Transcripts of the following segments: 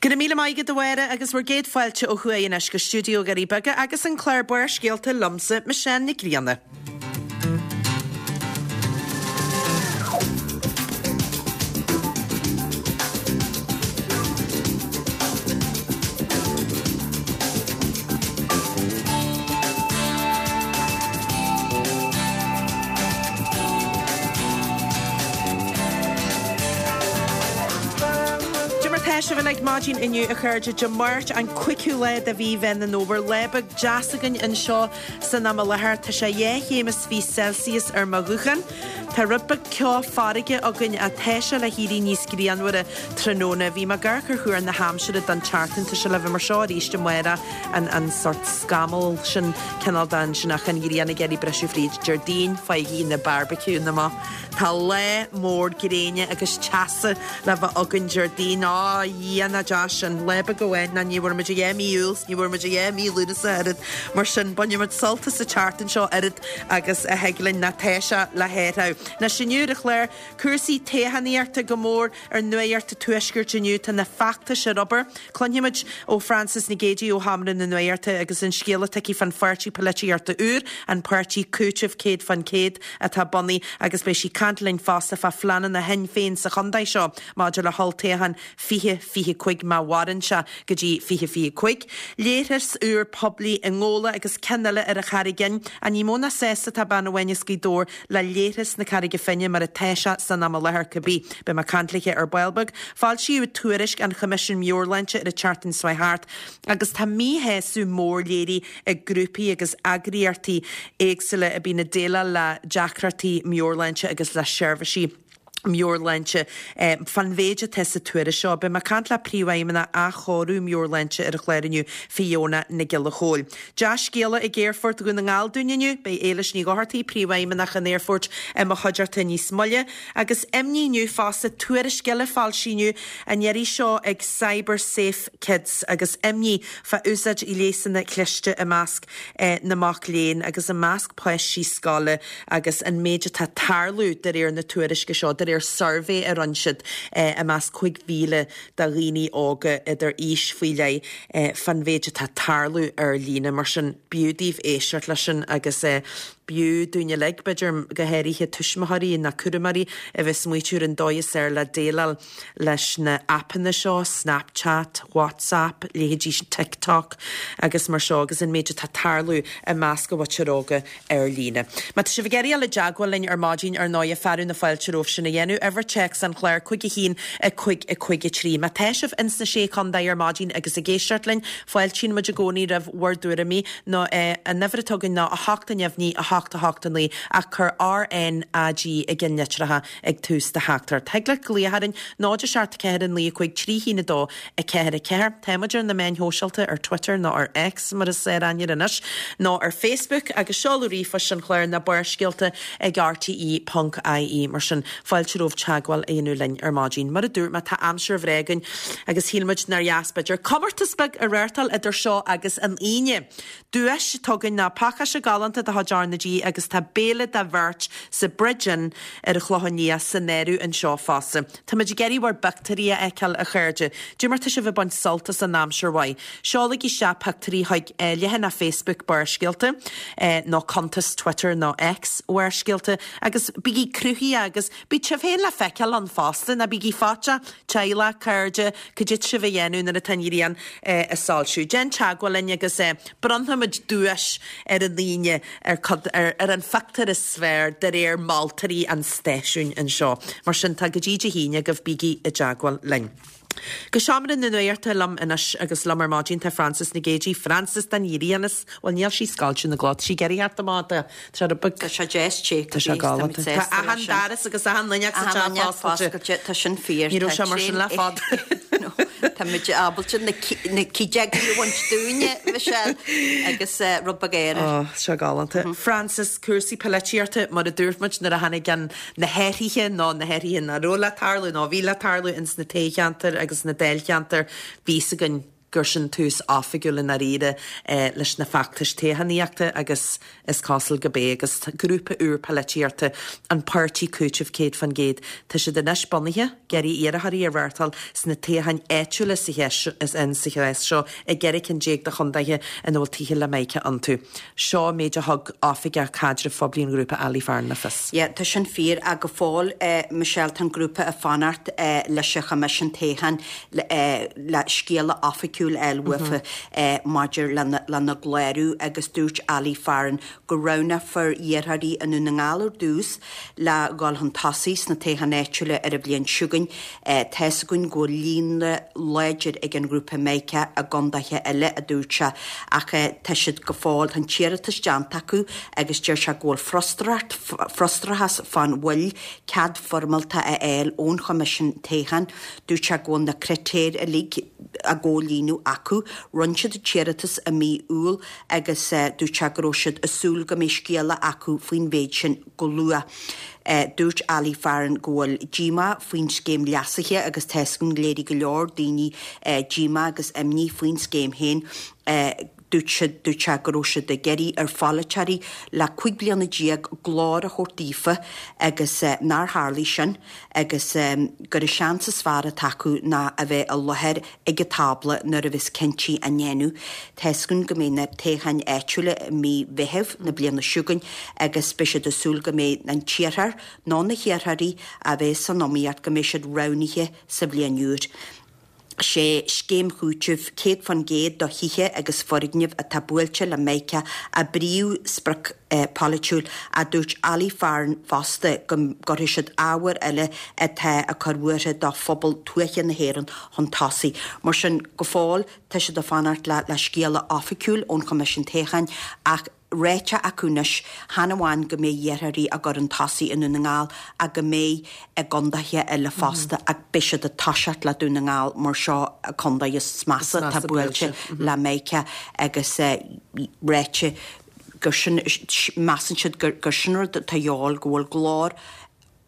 Go raibh míle maith agat a Mháire agus bhur gcéad fáilte ó thuaidh anois go stiúideo Dhoirí Beaga agus an clár Barrscéalta liomsa, Michelle Nic Grianna. Cad é mar tá sibh uilig maidin inniu a chairde, Dé Máirt an 5ú lá de mhí Mheán an Fhómhair, lá beag deas againn anseo san am i láthair. Tá sé 2 chéim is 20 Celsius ar mo ghuthán. Tá rud beag ceo farraige againn ach tá sé le héirí níos grianmhaire tráthnóna. Bhí mé ag amharc ar thuar na haimsire don tseachtain. Tá sé le bheith mar seo arís amárach, an an sort scamall sin, cineál de ansin ach an ghrian ag iarraidh briseadh fríd. Déardaoin, faighigí na barbecueanna amach. Tá lá mór gréine agus teasa le bheith againn Déardaoin. Á, a Dhia, nach deas sin. Lá beag amháin, ná ní bhfuair muid a dhath mí Iúil 's ní bhfuair muid a dhath mí Lúnasa oiread. Mar sin, bainfidh muid sult as an tseachtain seo oiread agus a thig linn, ná tá sé le hathrú. Anois inniu ar an chlár, cúrsaí toghchánaíochta go mór ar Nuacht an Tuaiscirt inniu. Tá na feachtais ar obair. Cluinfimid ó Frances Nic Géadaigh ó Sheomra na Nuachta agus an scéal atá aici fán pháirtí polaitíochta úr, an Páirtí Cúitimh 100% atá bunaithe agus beidh sí ag caint linn fosta fá phleananna Shinn Féin sa chontae seo maidir le holltoghchán 2025 má mhaireann sé go dtí 2025. Leithreas úr poiblí i nGabhla agus ceann eile ar an Charraig Fhinn. Ach ní mó ná sásta atá bean amháin as Gaoth Dobhair le leithreas na Carraige Finne mar atá sé san am i láthair cibé. Beidh mé ag caint léithe ar ball beag. Foilsíodh tuairisc an Choimisiúin Meabhairshláinte ar an tseachtain seo thart agus tá míshásamh mór léirithe ag grúpaí agus eagraíochtaí éagsúla a bhíonn ag déileáil le deacrachtaí meabhairshláinte agus le seirbhísí meabhairshláinte fán mhéid atá sa tuairisc seo. Beidh mé ag caint le Príomhfheidhmeannach Athchóiriú Meabhairshláinte ar an chlár inniu, Fiona Nic Giolla Chóill. Dea-scéala ag Aerfort Dhún na nGall dúinn inniu, beidh Éilis Ní Dhochartaigh, Príomhfheidhmeannach an Aerfoirt i mo chuideachta níos moille. Agus imní inniu fosta, tuairisc eile foilsithe inniu, an iarraidh seo ag Cyber Safe Kids agus imní fá úsáid ghléasanna cliste i measc na mac léinn agus i measc páistí scoile agus an méid atá ag tarlú de réir na tuairisce seo, de réir suirbhé a rinne siad i measc 5,000 de dhaoine óga idir aois faoi leith fán mhéid atá ag tarlú ar líne. Mar sin, b'fhiú daoibh éisteacht leis sin agus b'fhiú dúinn uilig, b'fhéidir, go háirithe tuismitheoirí nó cúramóirí a bheith ag smaoitiú ar an dóigh is fearr le déileáil leis na aipeanna seo, Snapchat, WhatsApp, leithéidí TikTok agus mar seo agus an méid atá ag tarlú i measc an mhuintir óga ar líne. Má tá sibh ag iarraidh dul i dteagmháil linn ar maidin, ar ndóighe, fearadh na fáilte romhaibh sin a dhéanamh. Uimhir téacs an chláir, 5 1 5 5 3. Má tá sibh ins na Sé Chontae ar maidin agus ag éisteacht linn, fáiltíonn muid i gcónaí roimh bhur dtuairimí nó an uimhir atá againn ná 8 neamhní 8 8 9 ach cuir RNAG i gceannlitreacha ag tús do theachtaireacht. Thig leat glaoch orainn, 0 7 4 9 5 3 1 2 4 4. Tá muid ar na meáin shóisialta, ar Twitter nó ar X mar is ar aithne air anois, nó ar Facebook agus seoladh ríomhphoist an chláir ná barrscéalta ag rte ponc ie. Mar sin, fáilte romhaibh teagmháil a dhéanamh linn ar maidin. Mar a dúirt mé, tá aimsir bhreá againn agus shíl muid nár dheas b'fhéidir comórtas beag a reáchtáil idir seo agus an Aoine. Duais atá againn ná pacáiste galánta de chuid R na G agus tá béile do bheirt sa Bridge Inn ar an Chlochán Liath san áireamh anseo fosta. Táimid ag iarraidh bhur bpictiúirí a fheiceáil, a chairde. Dé mar tá sibh ag baint sult as an aimsir mhaith. Seolaigí isteach pictiúirí chuig leathanach Facebook Barrscéalta nó cuntas Twitter nó X Bharrscéalta agus bígí cruthaitheach agus bíodh sibh féin le feiceáil ann fosta, ná bígí faiteach, teaghlach, cairde, cad é tá sibh a dhéanamh nuair atá an ghrian ag soilsiú. Déan teagmháil linn agus bronnfaimid duais ar an Aoine ar ar an phictiúr is fearr de réir moltóirí an stáisiúin anseo. Mar sin tá go dtí Dé hAoine agaibh, bígí i dteagmháil linn. Go seomra na nuachta liom anois agus liom ar maidin tá Frances Nic Géadaigh. Frances den ghrian is, bhuel níl sí scoilte na gcló, tá sí ag iarraidh theacht amach, tá sé rud beag. Tá sé deas te Tá sé galánta. Tá achan doras agus achan fhuinneog sa teach oscailte. Tá sin fíor. Ní raibh sé mar sin le fada. Tá muid ábalta na cídeogaí a bhaint dúinne, Michelle, agus rud beag aeir. Ó, tá sé galánta. Frances, cúrsaí polaitíochta, mar a dúirt muid nuair a tháinig an, na hathruithe nó na hathruithe nach raibh le tarlú nó a bhí le tarlú ins na toghcheantair agus na dáilcheantair, bhí fhios againn. gur sin tús oifigiúil i ndáiríre leis na feachtais toghchánaíochta agus is cosúil go b'é agus grúpa úr polaitíochta, an Páirtí Cúitimh 100%, tá siad anois bunaithe, ag iarraidh iarrthóirí a reáchtáil sna toghcháin áitiúla sa chás seo i gceithre cinn de chontaetha ina bhfuil tithe le Mica iontu. Seo an méid a thug Oifigeach Caidrimh Phoiblí an ghrúpa Ali Farren le fios. Yeah, tá sin fíor. Ach go fóill, Michelle, tá an grúpa ag fanacht leis an Choimisiún Toghcháin le scéala oifigiúil a fháil uafa maidir lena gclárú agus dúirt Ali Farren go roghnófar iarrthóirí i nDún na nGall ar dtús le dhul chun tosaigh sna toghcháin áitiúla ar an bhliain seo chugainn. Tá's againn go bhfuil líonra láidir ag an ghrúpa Mica i gcondaetha eile, a dúirt sé, ach tá siad go fóill, tá an t-iarratas déanta acu agus deir sé go bhfuil frustrachas, frustrachas fán mhoill cead foirmeálta a fháil ón Choimisiún Toghcháin. Dúirt sé go bhfuil na critéir uilig á gcomhlíonadh acu. Rinne siad an t-iarratas i mí Iúil agus dúirt sé go raibh siad ag súil go mbeidh scéala acu faoin mhéid sin go luath. Dúirt Ali Farren go bhfuil díomá faoin scéim leasaithe agus tá's againn léirigh go leor daoine díomá agus imní faoin scéim féin. Dúirt siad, dúirt sé go raibh siad ag iarraidh ar pholaiteoirí le 15 bliana glór a thabhairt daofa agus nár tharlaigh sin agus gur an seans is fearr atá acu ná a bheith i láthair ag an tábla nuair a bheas cinntí á ndéanamh. Tá's againn go mbeidh na toghcháin áitiúla i mí Mheithimh na bliana seo chugainn agus beidh siad ag súil go mbeidh an t-iarrthóir nó na hiarrthóirí a bheas san iomaíocht go mbeidh siad roghnaithe sa bhliain úr. 'Sé scéim chúitimh 100% do thithe agus foirgnimh atá buailte le Mica a bpríomhsprioc pholaitiúil ach dúirt Ali Farren fosta go gcuirfidh siad ábhair eile atá ag cur buartha do phobal tuaithe na hÉireann chun tosaigh. Mar sin, go fóill tá siad ag fanacht le scéala oifigiúil ón Choimisiún Toghcháin ach ráite acu anois, chan amháin go mbeidh iarrthóirí á gcur chun tosaigh i nDún na nGall ach go mbeidh i gcondaetha eile fosta ach beidh siad ag toiseacht le Dún na nGall mar seo an contae is measa atá buailte le Mica agus ráite gur sin, measann siad gur sin rud atá a dhíobháil, go bhfuil glór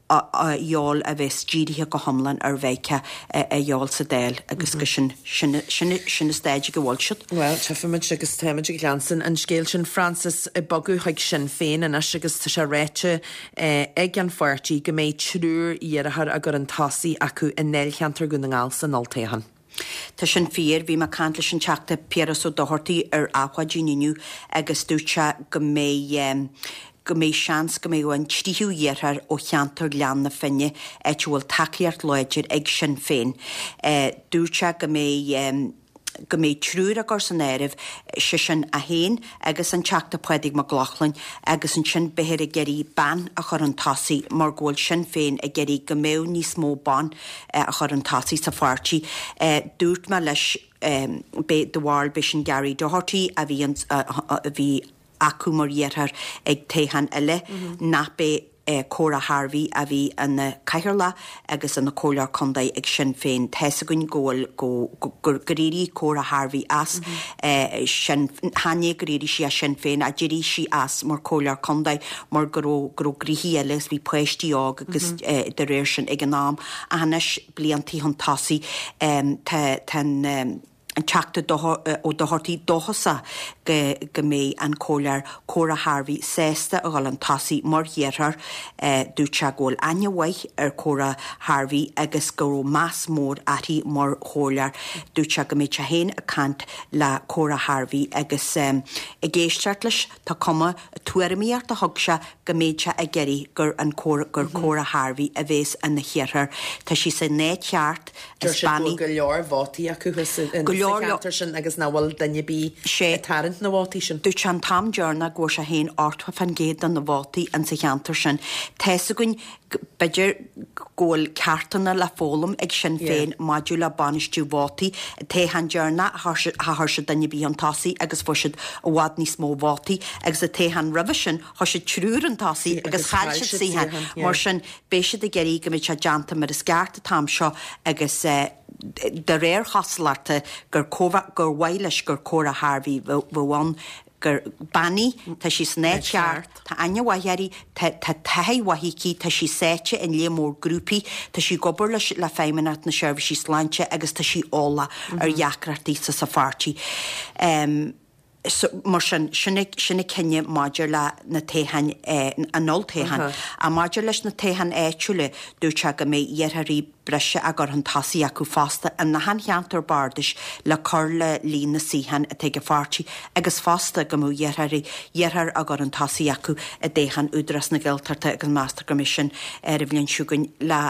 a dhíobháil a bheas dírithe go hiomlán ar Mhica a dhíobháil sa Dáil agus go sin, sin, sin, sin an staid ag a bhfuil siad. Bhuel, tchífimid agus táimid ag leanstan an scéil sin, Frances, ag bogadh chuig Sinn Féin anois agus tá sé ráite ag an pháirtí go mbeidh triúr iarrthóir á gcur chun tosaigh acu i ndáilcheantar Dhún na nGall san olltoghchán. Tá sin fíor. Bhí mé ag caint leis an Teachta Piaras Ó Dochartaigh ar Adhmhaidin inniu agus dúirt sé go mbeidh go mbeidh seans go mbeadh an tríú iarrthóir ó cheantar Ghleann na Finne, áit a bhfuil tacaíocht láidir ag Sinn Féin. Dúirt sé go mbeidh go mbeidh triúr á gcur san áireamh, sé sin é féin agus an Teachta Pádraig Mac Lochlainn agus ansin beifear ag iarraidh bean a chur chun tosaigh mar go bhfuil Sinn Féin ag iarraidh go mbeadh níos mó ban a chur chun tosaigh sa pháirtí. Dúirt mé leis b'é do bharúil b'é sin Gary Doherty a bhí a bhí acu mar iarrthóir ag toghchán eile nach b'é Cora Harvey a bhí ina cathaoirleach agus ina comhairleoir contae ag Sinn Féin. Tá's againn go bhfuil, go, gur éirigh Cora Harvey as Sinn, chan é gur éirigh sí as Sinn Féin ach d'éirigh sí as mar comhairleoir contae mar go raibh, go raibh gnoithí eile agus bhí páistí óg agus de réir sin ag an am. Ach anois, bliantaí chun tosaigh, tá, tá an, an Teachta Ó Dochartaigh dóchasach go mbeidh an Comhairleoir Cora Harvey sásta a dhul chun tosaigh mar iarrthóir. Dúirt sé go bhfuil aithne mhaith ar Cora Harvey agus go raibh meas mór uirthi mar chomhairleoir. Dúirt sé go mbeidh sé féin ag caint le Cora Harvey agus ag éisteacht leis tá cuma tuairimíocht a thug sé go mbeidh sé ag iarraidh gur an gur Cora Harvey a bhéas ina hiarrthóir. Tá sí san áit cheart, Deir is siad go bean í. bhfuil go leor vótaí acu thuas sa cheantar sin agus nach bhfuil duine ar bith ag tarraingt na vótaí sin. Dúirt sé an t-am deireanach go bhfuair sé féin 80% de na vótaí in sa cheantar sin. Tá's againn b'fhéidir go bhfuil ceachtanna le foghlaim ag Sinn Féin maidir le bainistiú vótaí. An toghchán deireanach char chuir siad duine ar bith chun tosaigh agus fuair siad i bhfad níos mó vótaí agus an toghchán roimhe sin chuir siad triúr chun tosaigh agus chaill siad suíochán. Mar sin beidh siad ag iarraidh go mbeidh sé déanta mar is ceart an t-am seo agus de réir chosúlachta gur gur mhaith leis gur Cora Harvey bheadh ann. gur bean í, tá sí san áit cheart, tá aithne mhaith uirthi, tá tá taithí mhaith aici, tá sí sáite in léar mór grúpaí, tá sí ag obair leis le Feidhmeannacht na Seirbhísí Sláinte agus tá sí eolach ar dheacrachtaí sa sa pháirtí. So, mar sin, sin a sin a cinneadh maidir le na toghcháin, an olltoghchán. Ach maidir leis na toghcháin áitiúla, dúirt sé go mbeidh iarrthóirí breise á gcur chun tosaigh acu fosta in achan cheantar bardais le cur le líon na suíochán atá ag an pháirtí agus fosta go mbeadh iarrthóirí iarrthóir á gcur chun tosaigh acu i dtoghchán Údarás na Gaeltachta agus meastar go mbeidh sin ar an bhliain seo chugainn le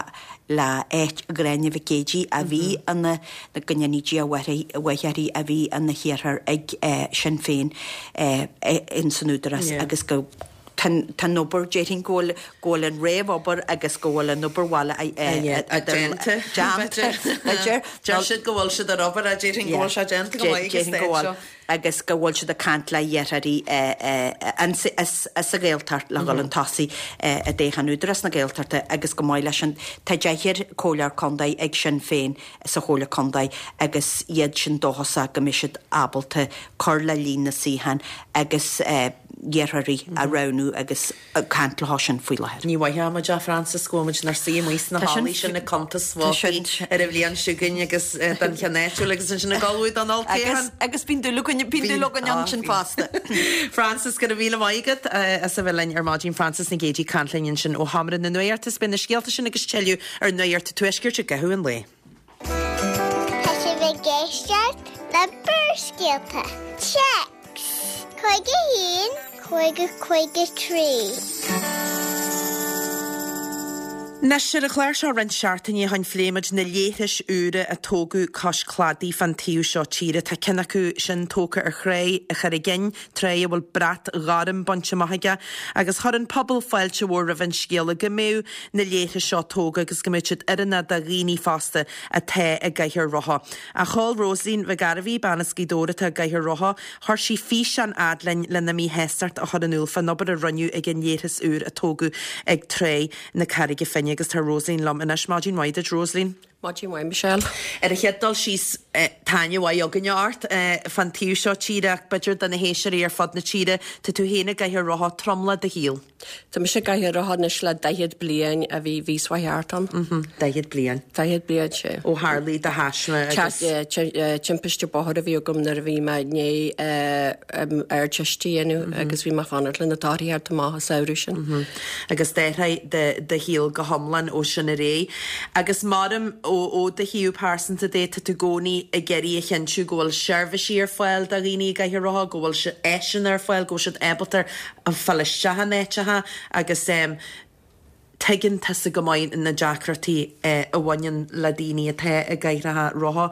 le áit Ghráinne Mhic Géidigh a bhí ina go ndéanaí Dia a mhaith uirthi a bhí ina hiarrthóir ag Sinn Féin ins an Údarás agus go Tá an obair, déarfainn go bhfuil, go bhfuil an réamhobair agus go bhfuil an obair bhaile déanta, b'fhéidir. Deir siad go bhfuil siad ar obair, déarfainn go bhfuil sé déanta go maith ag an staid seo. Agus go bhfuil siad ag caint le hiarrthóirí sa Ghaeltacht le dhul chun tosaigh i dtoghchán Údarás na Gaeltachta agus chomh maith leis sin tá deichniúr comhairleoir contae ag Sinn Féin sa Chomhairle Contae agus iad sin dóchasach go mbeidh siad ábalta cur le líon na suíochán agus iarrthóirí a roghnú agus ag caint leo sin faoi láthair. Ní mhaithfeadh muid é, Frances, go bhfuil muid inár suí amuigh sna hallaí sin ag cuntas vótaí ar an bhliain seo chugainn agus don cheann áitiúil agus ansin ag ullmhú don olltoghchán. Agus bíonn dúil againn, bíonn dúil againn ansin fosta. Frances, go raibh míle maith agat as a bheith linn ar maidin. Frances Nic Géadaigh ag caint linn ansin ó Sheomra na Nuachta. Beidh na scéalta sin agus tuilleadh ar Nuacht an Tuaiscirt i gcaitheamh an lae. Tá sibh ag éisteacht le Barrscéalta. Téacs 51 50 53. Anois, ar an chlár seo roinnt seachtainí ó shin phléigh muid na leithris úra a tógadh cois cladaigh fán taobh seo tíre. Tá ceann acu sin tógtha ar Thráigh an Charraig Fhinn, tráigh a bhfuil brat ghorm bainte amach aige, agus chuir an pobal fáilte mhór roimh an scéala go mbeadh na leithris seo tógtha agus go mbeadh siad oiriúnach do dhaoine fásta atá i gcathaoir rotha. Ach sheol Rosaleen Mhic Gairbhí, bean as Gaoth Dobhair atá i gcathaoir rotha, chuir sí físeán fhad linn lena míshástacht a chur in iúl fán obair a rinneadh ag an leithreas úr a tógadh ag Tráigh na Carraige Finne agus tá Rosaleen liom anois. Maidin mhaith duit, Rosaleen. Maidin mhaith, Michelle. Ar an chéad dul síos, tá aithne mhaith againne ort fán taobh seo tíre ach b'fhéidir do na héisteoirí ar fud na tíre, tá tú féin i gcathaoir rotha tromlach do shaoil. Tá mise i gcathaoir rotha anois le 40 bliain a bhí mhí seo thart ann. 40 bliain. 40 bliain, sea. Ó tharlaigh do thaisme agus. Timpiste bóthair a bhí agam nuair a bhí mé i ndiaidh Ardteist a dhéanamh agus bhí mé ag fanacht le na torthaí a theacht amach an samhradh sin. Agus d'athraigh do shaol go hiomlán ó sin ar aghaidh. Agus maram ó do thaobh pearsanta de, tá tú i gcónaí ag iarraidh a chinntiú go bhfuil seirbhísí ar fáil do dhaoine i gcathaoir rotha, go bhfuil áiseanna ar fáil, go bhfuil siad ábalta fáil isteach in áiteacha agus tuigeann tusa go maith na deacrachtaí a bhaineann le daoine atá i gcathaoireacha rotha.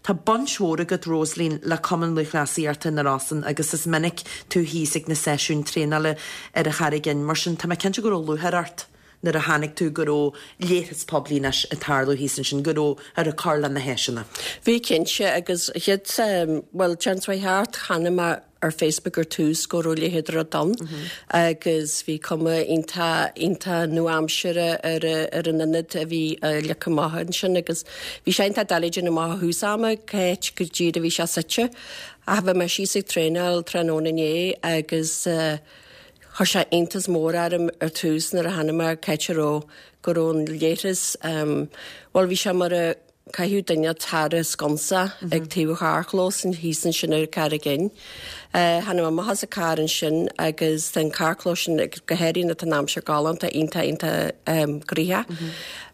Tá baint mhór agat, Rosaleen, le Cumann Lúthchleasaíochta na Rosann agus is minic tú thíos ag na seisiúin traenála ar an Charraig Fhinn, mar sin tá mé cinnte go raibh lúcháir ort nuair a chonaic tú go raibh leithreas poiblí anois ag tarlú thíos ansin, go rabhthar ag cur le na háiseanna. Bhí cinnte agus chéad, bhuel, déan thart, chonaic mé ar Facebook ar tús go raibh a leithéid de rud ann agus bhí cuma iontach iontach nua-aimseartha ar ar an ionad a bhí leagtha amach ansin agus bhí sé iontach doiligh déanamh amach ó thús ama cá háit go díreach a bhí sé suite. Ach bhí mé síos ag traenáil tráthnóna inné agus chuir sé iontas mór orm ar tús nuair a chonaic mé cá háit a raibh go raibh an leithreas bhuel bhí sé mar a Caitheadh duine thar an sconsa ag taobh an charrchlós thíos ansin ar an Charraig Fhinn. Tháinig mé amach as an carr ansin agus tá an carrchlós sin, go háirithe nuair atá an aimsir galánta, iontach iontach gnoitheach.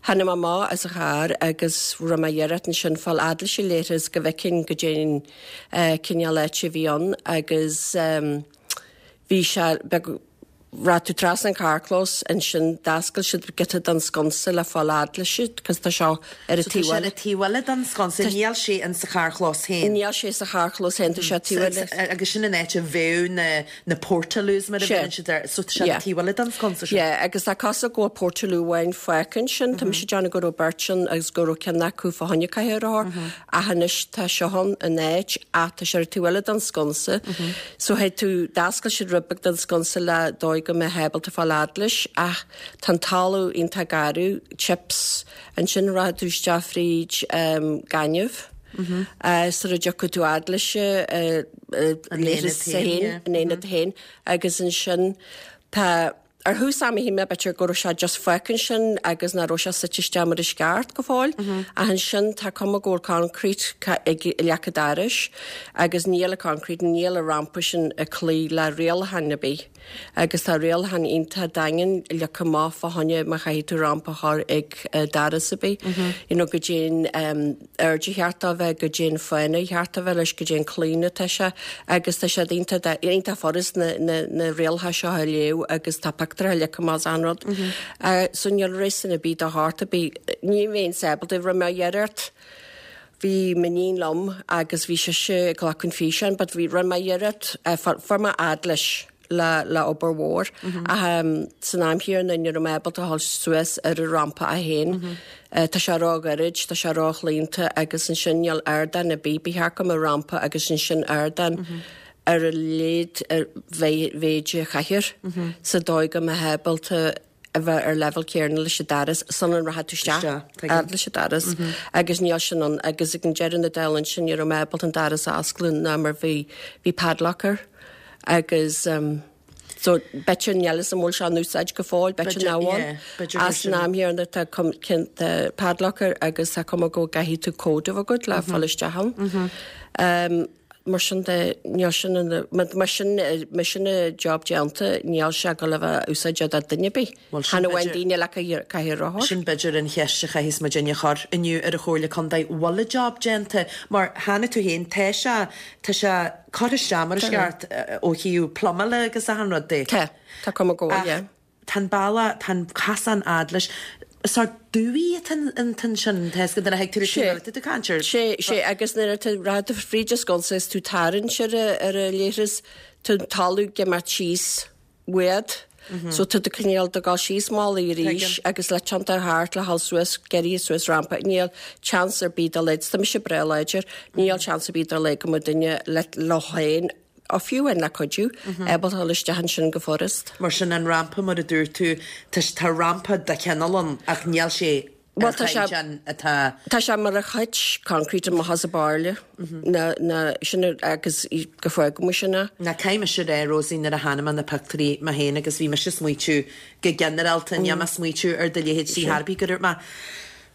Tháinig mé amach as an charr agus rinne mé iarracht ansin fáil fhad leis an leithreas go bhfeicfinn goidé an cineál áite a bhí ann agus bhí sé beag Rachaidh tú trasna an carrchlós ansin d'oscail siad giota den sconsa le fáil fhad leis cos tá seo ar an So tá taobh sé ar eile. an taobh eile den sconsa, níl sé in sa charrchlós féin. Níl sé sa charrchlós féin, tá sé taobh eile. Agus sin an áit a bheadh na na portaloos mar a Sea. bheireann siad air, so tá sé ar Yeah. an taobh eile den sconsa sin. Yeah, agus tá cosúil go bhfuil portaloo amháin fágtha ansin, tá mise ag déanamh go raibh beirt ann agus go raibh ceann acu fá choinne cathaoir rothar. Ach anois tá seo ann in áit ach tá sé ar an taobh eile den sconsa. So théid tú, d'oscail siad rud beag den sconsa le dóigh go mbeifeá ábalta fáil fhad leis ach tá an talamh iontach garbh, chips, ansin rachaidh tú isteach fríd gaineamh. Sar a dtiocfaidh tú fhad leis an leithreas féin, an aonad féin, agus ansin tá, ar thús ama shíl mé b'fhéidir go raibh sé just fágtha ansin agus nach raibh sé suite isteach mar is ceart go fóill, ach ansin tá cuma go bhfuil concrete ag leac an dorais agus níl an concrete, níl an rampa sin ag cloí le rialacháin ar bith. Agus tá rialacháin iontach daingean leagtha amach fá choinne má chaithfidh tú rampa a chur ag doras ar bith, you know, goidé'n airde cheart dó bheith, goidé'n fána cheart a bheith leis, goidé'n claonadh atá sé agus tá siad iontach iontach furast na na na rialacha seo a léamh agus tá pictiúr leagtha amach is achan rud. So níl réasún ar bith do shórt ar bith. Ní bheinn ábalta, rinne mé iarracht Bhí m'iníon liom agus bhí sise ag glacadh an físeáin but bhí, rinne mé iarracht, fuair mé fhad leis le, le obair mhór ach san am chéanna ní raibh mé ábalta a dhul suas ar an rampa é féin. Tá sé ró-ghairid, tá sé ró-chlaonta agus ansin níl ardán ar bith, ba cheart go mbeadh rampa agus ansin ardán ar a laghad ar mhéid an chathaoir sa dóigh go mbeifeá ábalta a bheith ar leibhéal céanna leis an doras sula rachaidh tú isteach fhad leis an doras agus níl sin ann agus ag an deireadh na dála ansin ní raibh mé ábalta an doras a osclú ná mar bhí bhí padlock air agus so b'fhéidir níl fhios an bhfuil sé in úsáid go fóill b'fhéidir nach bhfuil ach san am chéanna tá tá padlock air agus tá cuma go gcaithfidh tú cód a bheith agat le fáil isteach ann. Mar sin de, níl sin ina, mar sin, mar sin an job déanta, níl sé ag dul a bheith úsáideach do duine ar bith. Bhuel, sin Chan amháin b'fhéidir- daoine le cathaoir cathaoir rothar. Sin b'fhéidir an cheist a chaithfeas muidinne a chur inniu ar an Chomhairle Contae, bhfuil an job déanta? Mar chonaic tú féin, tá sé, tá sé curtha isteach mar is ceart ó thaobh pluimeála agus achan rud de. Tá, tá cuma go bhfuil, Ach yeah. Tá an bealach, tá an casán fhad leis. Sórt dumhaí atá ansin, tá 'fhios agat nuair a thig tú le Sé. chéile, tá tú ag caint ar. Sé, sé, agus nuair atá rachadh tú fríd an sconsa is tú tarraingt ar a, ar a leithreas, tá an talamh ag imeacht síos uait, so tá tú cineál ag dul síos malaí arís agus le tiontú thart le dhul suas, ag éirí suas rampa, níl chance ar bith dá laghad, tá mise breá láidir, níl chance ar bith dá laghad go mbeadh duine le, leo féin Á fiú amháin le cuidiú, ábalta dul isteach ansin go furast. Mar sin, an rampa, mar a dúirt tú, tá tá rampa de chineál ann ach níl sé ar Bhuel, tá sé, chaighdeán atá. tá sé mar a thit concrete amach as an bairille, na, na, sin agus go fágfaidh muid sin é. Ná caithfidh mise a rá, Rosie, nuair a chonaic mé na pictiúirí mé féin agus bhí mise ag smaoitiú go ginearálta, níl mé ag smaoitiú ar do leithéid ar bith, gur dhúirt mé,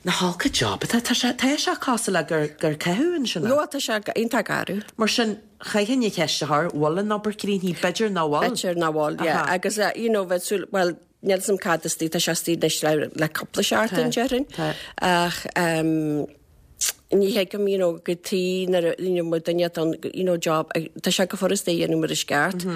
Nach olc an job atá, tá sé, tá sé cosúil le gur, gur caitheadh ansin é. Bhuel, tá sé iontach garbh. Mar sin, chaithfinn an cheist a chur, bhfuil an obair críochnaithe? B'fhéidir nach bhfuil. B'fhéidir nach bhfuil, yeah. Aha. Agus, you know, bheadh súil, bhuel, níl 'fhios a'm cad istigh, tá sé istigh anois le, le cúpla seachtain, Tá, déarfainn. tá. Ach, ehm, ní thuigim, you know, go tí nuair a, you know, mar duine atá ann, you know, job, tá sé go furast é a dhéanamh mar is ceart,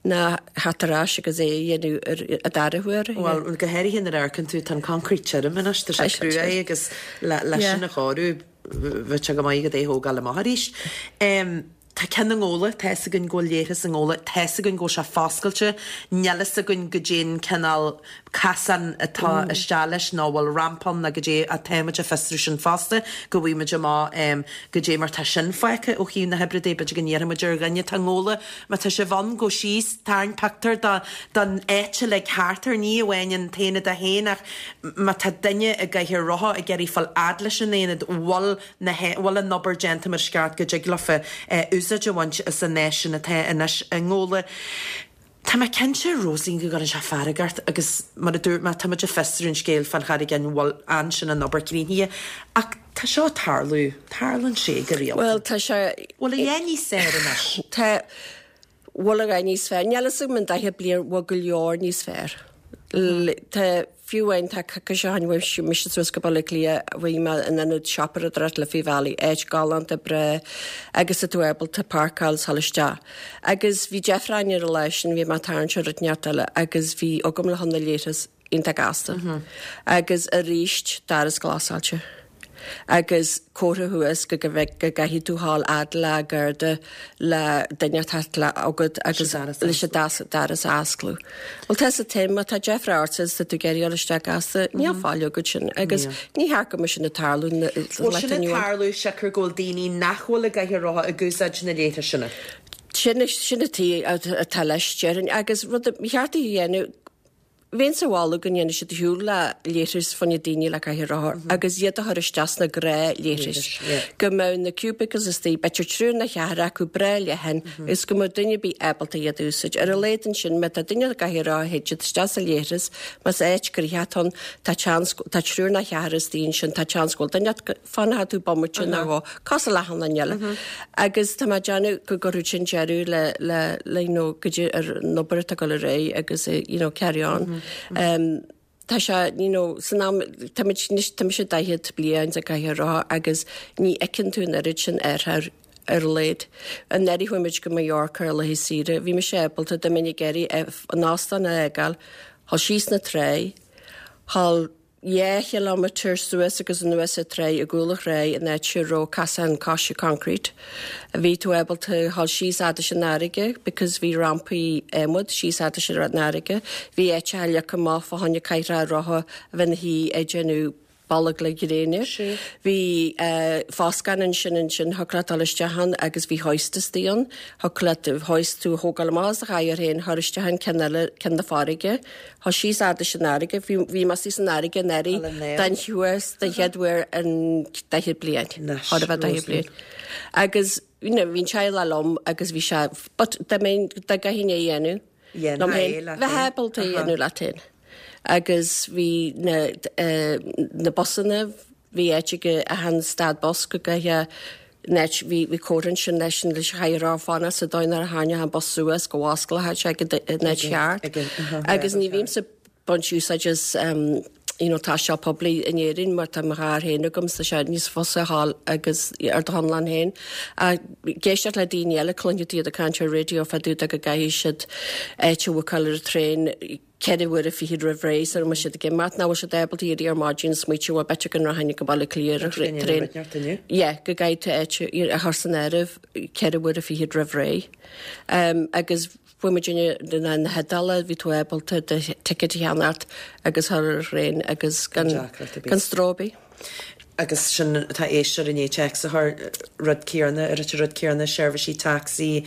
ná theacht ar ais agus é a dhéanamh ar an dara huair. Bhuel, go háirithe nuair a amharcann tú, tá an concrete tirim anois, tá sé Tá sé cruaidh tirim. agus le, le Yeah. sin a chóiriú, bheadh sé go maith agat é a thógáil amach arís. Tá ceann i nGabhla, tá fhios againn go bhfuil leithreas i nGabhla, tá fhios againn go bhfuil sé foscailte, níl fhios againn goidé'n cineál casán atá isteach leis nó bhfuil rampa ann nó goidé ach tá muid ag fiosrú sin fosta go bhfaighidh muid amach goidé mar tá sin fágtha ó thaobh na hoibre de, b'fhéidir go n-iarrfaidh muid ar dhuine atá i nGabhla má tá sibh ann gabh síos, tarraing pictiúr de don áit uilig thart air, ní amháin an t-aonad é féin ach má tá duine i gcathaoir rotha ag iarraidh fáil fhad leis an aonad, bhfuil na bhfuil an obair déanta mar is ceart go dtig leofa úsáid a bhaint as an áis sin atá anois i nGabhla. Tá mé cinnte, Róisín, go gcuireann sé fearg ort agus mar a dúirt mé, tá muid ag fiosrú an scéil fán Charraig Fhinn, bhfuil ansin an obair críochnaithe ach tá seo ag tarlú, tarlaíonn sé go rialta. Bhuel, tá sé. Bhfuil a dhath níos fearr anois? Tá. Bhfuil a dhath níos fearr? Níl fhios agam an 40 bliain, bhfuil go leor níos fearr. Tá, fiú amháin tá coicís ó shin bhí mise suas go Baile Átha Cliath, bhí mé in ionad siopadóireachta Liffey Valley, áit galánta breá agus tá tú ábalta páirceáil is dhul isteach. Agus bhí deifir orainn ar an lá sin, bhí mé ag tarraingt ar rud inteacht eile agus bhí agam le chun na leithreas iontach gasta. Agus arís, doras glasáilte. Agus comhartha thuas go go gcaithfidh tú dhul fhad le garda le duine atá le agat agus leis an doras a osclú. Bhuel tá sa t-am má tá deifir ort is tá tú ag iarraidh dul isteach gasta, níl fáil agat sin agus ní cheart go mbeadh sin ag tarlú Bhfuil sin ag tarlú siocair go bhfuil daoine nach bhfuil i gcathaoir rotha ag úsáid na leithriseanna? Sin sin an taobh atá leis déarfainn agus rud a cheart a dhéanamh. Bheinnse ag moladh go ndéanfadh siad ar shiúl le leithris fá choinne daoine le cathaoir rothar agus iad a chur isteach sna gnáthleithris. Go mbeadh na cubicles istigh, b'fhéidir triúr nó ceathrar acu breá leathan agus go mbeadh duine ar bith ábalta iad a úsáid. Ar a laghad ansin, má tá duine i gcathaoir rothar théid siad isteach sa leithreas, más áit gnoitheach atá ann, tá seans, tá triúr nó ceathrar istigh ansin, tá seans go bhfuil duine agat, fanfaidh tú bomaite nó dhó, cosúil le achan duine eile. Agus tá mé ag déanamh go gcuirfeadh sin deireadh le, le, le, you know, go dtí ar an obair atá ag dul ar aghaidh agus, you know, carry on. Um, tá sé, you know, san am, tá muid anois, tá mise 40 bliain sa gcathaoir rotha agus ní fheiceann tú an oiread sin athraithe ar a laghad. Anuraidh chuaigh muid go Mallorca ar laetha saoire, bhí mise ábalta, dá mbeinn ag iarraidh an óstán a fhágáil, dhul síos na tráigh, dhul 2 chileámeter suas agus anuas an tráigh i gcúl an tráigh in áit a raibh casán coise concrete. Bhí tú ábalta dhul síos fhad leis an fharraige because bhí rampaí adhmaid síos fhad leis an fharraige. Bhí áiteacha leagtha amach fá choinne cathaoireacha rotha a bheith ina shuí ag déanamh bolg le gréine. Bhí foscán ansin ansin thiocfadh leat dul isteach ann agus bhí hoist istigh ann. Thiocfadh leat hoist tú a thógáil amach as do chathaoir féin, chur isteach an ceann eile, ceann na farraige. Tá síos fhad leis an fharraige. Bhí, bhí mé istigh san fharraige anuraidh den chuas, den chéad uair in 40 bliain. Chóir a bheith 40 bliain. Agus, you know, bhí an teaghlach liom agus bhí sé, but dá mbeinn, dá gcaithfinn é a dhéanamh liom féin, bheith ábalta é a dhéanamh leat féin. Agus bhí na, na busanna, Bhí áit ag achan stad bus go gcaithfeá an áit, bhí, bhí comhartha ansin leis an, leis an chathaoir rothar fanacht sa dóigh nuair a tharraingeodh an bus suas go bhfosclódh sé ag an áit cheart. Agus ní bhímse ag baint úsáid as you know taisteal poiblí in Éirinn mar tá mo charr féin agam so tá sé níos fusa a ghabháil agus ar do chonlán féin. Ach ag éisteacht le daoine eile, cluinfidh tú iad ag caint ar raidió fá dtaobh de go gcaithfidh siad áit a bhookáil ar an traein, 4 uaire fichead roimh ré sara mbeidh siad ag imeacht, nach bhfuil siad ábalta éirí ar maidin is smaoitiú bhuel b'fhéidir go rachainn go Baile Átha Cliath ar an traein. Yeah, go gcaithfidh tú áit a chur san áireamh 4 uaire fichead roimh ré. Agus fuair muid na na hIodáile, bhí tú ábalta do ticket a cheannacht agus a chur ar an traein agus gan gan stró ar bith. Agus sin tá éisteoir i ndiaidh téacs a chur, rud céanna, ar an rud céanna, seirbhísí tacsaí,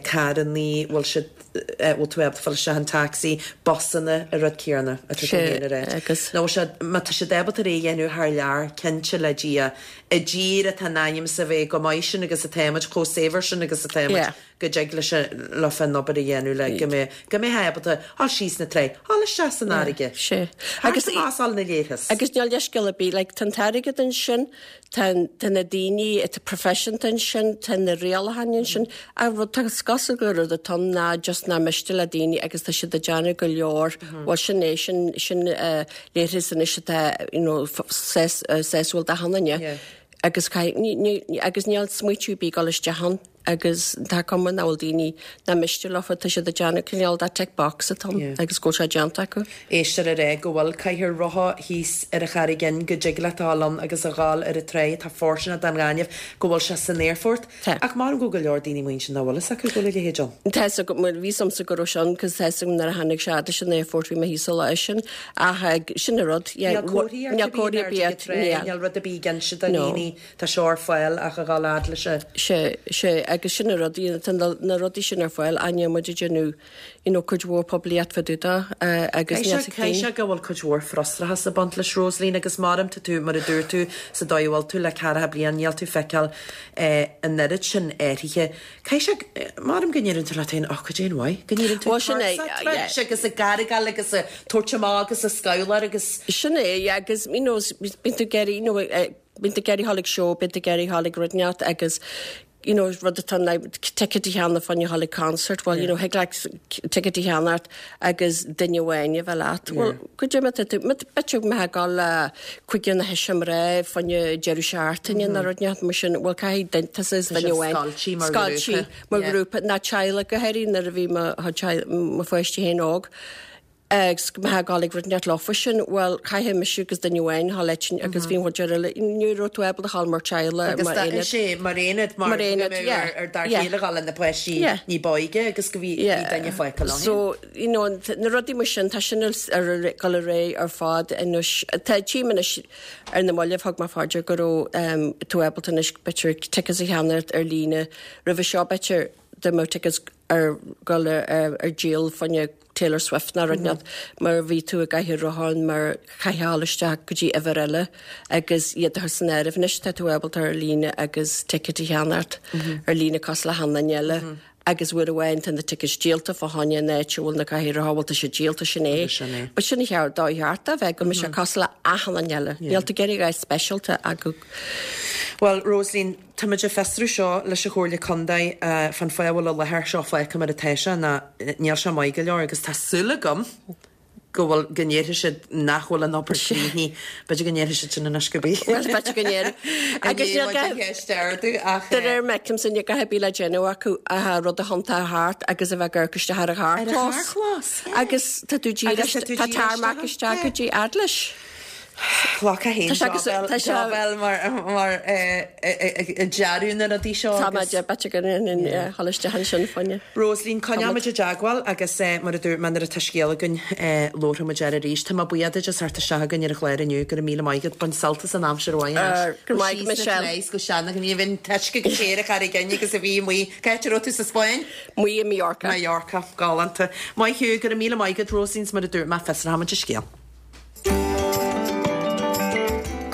carrannaí, bhfuil siad, bhfuil tú ábalta fáil isteach in tacsaí, busanna, an rud céanna atá tú féin a rá. Agus. Nó bhfuil siad, má tá siad ábalta é a dhéanamh thar lear, cinnte le Dia, i dtír atá in ainm is a bheith chomh maith sin agus atáimid, chomh saibhir sin agus atáimid. go dtig leis leofa an obair a dhéanamh le go mbeidh, go mbeifeá ábalta dhul síos na tráigh, dhul isteach san fharraige. Sea. Agus amach as na leithreas. Agus níl leithscéal ar bith, like, tá an t-airgead ansin, tá, tá na daoine atá proifisiúnta ansin, tá na rialacháin ansin, ach rud, tá, is cosúil gur rud atá ann ná just nach miste le daoine agus tá siad ag déanamh go leor, bhuel sin é, sin, sin eh, leithreas anois atá, you know, sás, sásúil d'achan duine. Agus caith, ní, ní, agus níl smaoitiú ar bith ag dul isteach ann. agus tá cuma nach bhfuil daoine nach miste leofa, tá siad ag déanamh cineál de tick box atá ann agus go bhfuil sé déanta acu. Éisteoir ag rá go bhfuil cathaoir rotha thíos ar an Charraig Fhinn, go dtig leat a dhul ann agus a dhul ar an tráigh atá fóirsteanach don ghaineamh, go bhfuil sé san aerfort. Tá. Ach maram go bhfuil go leor daoine amuigh ansin nach bhfuil fhios acu go bhfuil a leithéid ann. Tá fhios agam, bhuel bhí fhios a'msa go raibh sé ann cos tá fhios agam nuair a tháinig sé fhad leis an aerfort bhí mé thíos an lá sin ach sin an rud, yeah, Níl comharthaí ar níl comharthaí ar bith, níl. Níl rud ar bith ag inse do dhaoine. Tá seo ar fáil ach a dhul fhad leis an. Sea, sea, agus sin an rud, you know, tá na, na rudaí sin ar fáil, ach níl muid ag déanamh, you know, cuid mhór poiblíocht fá dtaobh de, agus níl Caithfidh sé, caithfidh sé go bhfuil cuid mhór frustrachas ag baint leis, Rosaleen, agus maram tá tú, mar a dúirt tú, sa dóigh a bhfuil tú le ceathracha bliain, níl tú feiceáil an oiread sin athraithe. Caithfidh sé, maram go ndeireann tú leat féin, oh, cad é an mhaith, go ndeireann tú Bhuel, sin é, tuirseach yeah. troid agus ag gargáil agus ag tabhairt amach agus ag scabhláir agus. Sin é, yeah, agus, you know, bíonn tú ag iarraidh, you know, Bíonn tú ag iarraidh dhul ag seó, bíonn tú ag iarraidh dhul ag rud inteacht agus you know rud atá like ticket a cheannach fá choinne dhul ag concert, well you know thig leat ticket a cheannacht agus duine amháin a bheith leat. Well goidé má tá tú, b'fhéidir go mbeifeá ag dul le cúigear nó seisear mná fá choinne deireadh seachtaine nó rud inteacht mar sin, well caithfidh duine, tusa is duine amháin. Scoiltí mar ghrúpa. Scoiltí mar ghrúpa, nó teaghlach go háirithe nuair a bhí mo mo pháistí féin óg. Agus go mbeifeá ag dul ag rud inteacht leofa sin, bhuel, chaithfeadh mise agus duine amháin a dhul leis agus bhí an chuid eile, ní raibh tú ábalta a dhul mar teaghlach, Agus mar aonad. Is é, mar aonad, mar Mar go aonad, mbeadh yeah, ar ar dar yeah. chéile dhul le na páistí Yeah. ní b'óige agus go bhí bhí Yeah. duine fágtha leo. So, you know, na rudaí mar sin, tá sin ar ar dul ar aghaidh ar fad anois. Tá tchím anois ar na mallaibh, thug mé fá dear go raibh um, tú ábalta anois b'fhéidir tickets a cheannacht ar líne. Roimhe seo b'fhéidir dá mbeadh tickets ar dhul ar ar díol fá choinne. Taylor Swift ná rud inteacht mar bhí tú ag caitheamh rotháin mar chaithfeá dhul isteach go dtí uimhir eile agus iad a chur san áireamh. Anois tá tú ábalta ar líne agus ticket a cheannacht ar líne cosúil le haon duine eile agus uair amháin tá na tickets díolta fá choinne an áit a bhfuil na cathaoireacha bhuel tá siad díolta sin é. Sin é. But sin an cheart dóigh cheart a bheith go mbeidh sé cosúil le achan duine eile. Níl tú ag iarraidh a dhath speisialta ach go Bhuel, Rosaleen, táimid ag fiosrú seo leis an Chomhairle Contae fán fáth a bhfuil an láthair seo fágtha mar atá sé ná níl sé maith go leor agus tá súil agam go bhfuil, go ndéarfaidh siad nach bhfuil an obair críochnaithe. B'fhéidir go ndéarfaidh siad sin anois go bith. Bhuel, b'fhéidir go ndéarfaidh. Agus níl gá, ceist a ardú ach. De réir mar a fheicimse, níl a dhath ar bith le déanamh acu ach rud a thiontú thart agus a bheith ag amharc isteach ar an charrchlós. Ar an charrchlós, yeah. Agus tá tú díreach, tá tarmac isteach go dtí Eaglais. Ghlacfá féin job eile mar ag dearadh na rudaí seo Tá mé b'fhéidir go dhul isteach ansin fáinne. Rosaleen, coinneoimid i dteagmháil agus mar a dúirt mé nuair atá scéal againn labharfaidh muid air arís. Tá mé buíoch duit as theacht isteach chugainn ar an chlár inniu. Go raibh míle maith agat. Bain sult as an aimsir mhaith anois. Go raibh maith agat Michelle. Go seana-ghníomh an t-uisce chomh te ar an Charraig Fhinn agus a bhí amuigh. Cá háit a raibh tú sa Spáinn? Amuigh i Mallorca. Mallorca. Galánta. Maith thú. Go raibh míle maith agat Rosaleen 's mar a dúirt mé fiosróimid an scéal.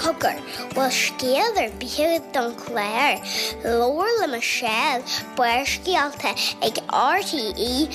Cogar, bhfuil scéal ar bith agat don chlár? Labhair le Michelle, Barrscéalta ag RTE.ie.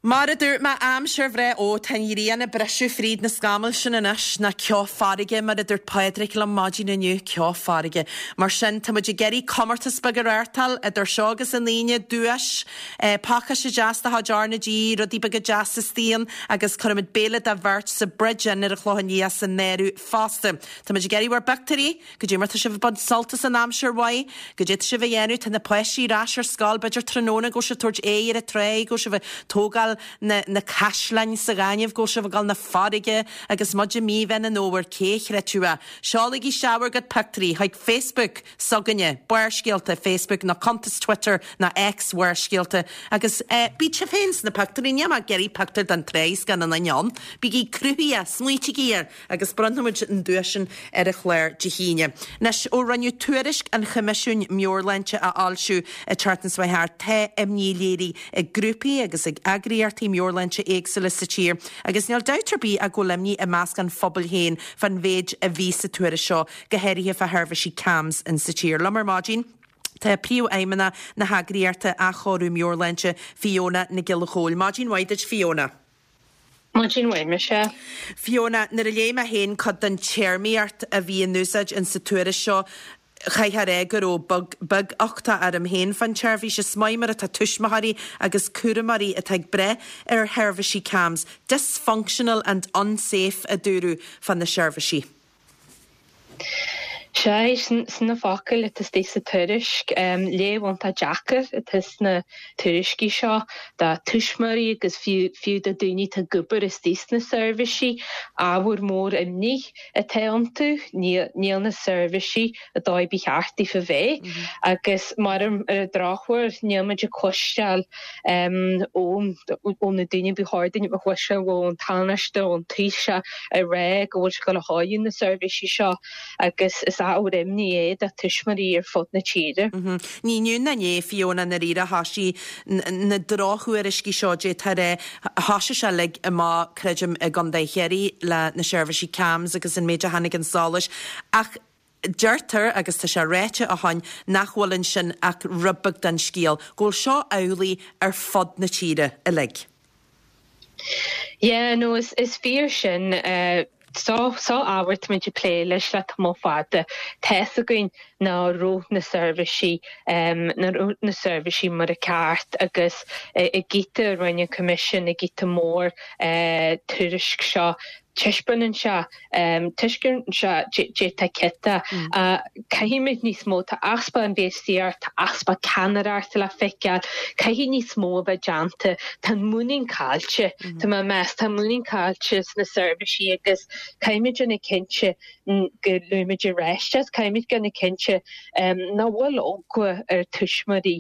Mar a dúirt mé, aimsir bhreá, ó, tá an ghrian ag briseadh fríd na scamaill sin anois, ná ceo farraige, mar a dúirt Pádraig liom maidin inniu, ceo farraige. Mar sin, tá muid ag iarraidh comórtas beag a reáchtáil idir seo agus an Aoine, duais. Pacáiste deas de chuid R na G, rudaí beaga deasa istigh ann agus cuirfimid béile do bheirt sa Bridge Inn ar an Chlochán Liath san áireamh fosta. Táimid ag iarraidh bhur bpictiúirí, goidé mar tá sibh ag baint sult as an aimsir mhaith, goidé tá sibh a dhéanamh, tá na páistí ar ais ar scoil, b'fhéidir tráthnóna go bhfuil sibh ag tabhairt aghaidh ar an trá, go bhfuil sibh ag tógáil na na caisleáin sa ghaineamh, go bhfuil sibh ag dul 'na farraige agus muid i mí Mheán an Fhómhair, cé a chreidfeadh é? Seolaigí isteach bhur gcuid pictiúirí chuig Facebook! s'againne, Barrscéalta, Facebook nó cuntas Twitter nó X Bharrscéalta agus bíodh sibh féin sna pictiúirí, níl mé ag iarraidh pictiúr den trá is gan aon duine ann. Bígí cruthaithe, smaoitígí air agus bronnfaimid an duais sin ar an chlár Dé hAoine. Anois, ó rinneadh tuairisc an Choimisiúin Meabhairshláinte a fhoilsiú an tseachtain seo thart, tá imní léirithe ag grúpaí agus ag eagraíochtaí meabhairshláinte éagsúla sa tír agus níl dabht ar bith ach go bhfuil imní i measc an phobail féin fán mhéid a bhí sa tuairisc seo. go háirithe fá sheirbhísí CAMHS in sa tír. Liom ar maidin tá Príomhfheidhmeannach na heagraíochta Athchóiriú Meabhairshláinte, Fiona Nic Giolla Chóill. Maidin mhaith duit, Fiona. Maidin mhaith, Michelle. Fiona, nuair a léigh mé féin cuid den téarmaíocht a bhí in úsáid in sa tuairisc seo, chaithfeá a rá go raibh beag-uchtach orm féin fán tseirbhís. Is maith mar atá tuismitheoirí agus cúramóirí atá ag brath ar sheirbhísí CAMHS. Dysfunctional and unsafe a dúradh fá na seirbhísí. Sea, sin na focail atá istigh sa tuairisc. Léamh iontach deacair atá sna tuairiscí seo do tuismitheoirí agus fiú do daoine atá ag obair istigh sna seirbhísí. Ábhar mór imní atá iontu. Níl na seirbhísí an dóigh ba cheart daofa bheith agus mar ar an drochuair níl muid ag cloisteáil ó ó na daoine ba chóir dúinn a bheith ag cloisteáil ón Tánaiste, ón Taoiseach ag rá go bhfuil sé ag dul a chóiriú na seirbhísí seo agus is ábhar imní é do tuismitheoirí ar fud na tíre. Ní inniu ná inné, Fiona, i ndáiríre, thoisigh na drochthuairiscí seo, d'fhéadfá a rá, thoisigh sé uilig amach, creidim, i gContae Chiarraí le na seirbhísí CAMHS agus an méid a tháinig chun solais ach Deirtear, agus tá sé ráite ó shoin, nach bhfuil ansin ach rud beag den scéal, go bhfuil seo amhlaidh ar fud na tíre uilig. Yeah, no, is fíor sin. Seo ábhar táimid ag plé leis le tamall fada. Tá's againn ná raibh na seirbhísí, ná raibh na seirbhísí mar a ceart agus i gcíta a rinne an Coimisiún, i gcíta mór tuairisc seo, Taispeánann sé, taispeánann sé dé tá cinnte. Caithfimid níos mó, tá easpa infheistíocht, tá easpa ceannaireachta le feiceáil, caithfidh níos mó a bheith déanta. Tá an muinín caillte, tá mé ag meas, tá an muinín caillte sna seirbhísí agus caithfimid déanamh cinnte. go luaimid arís é, caithfimid déanamh cinnte nach bhfuil eagla ar tuismitheoirí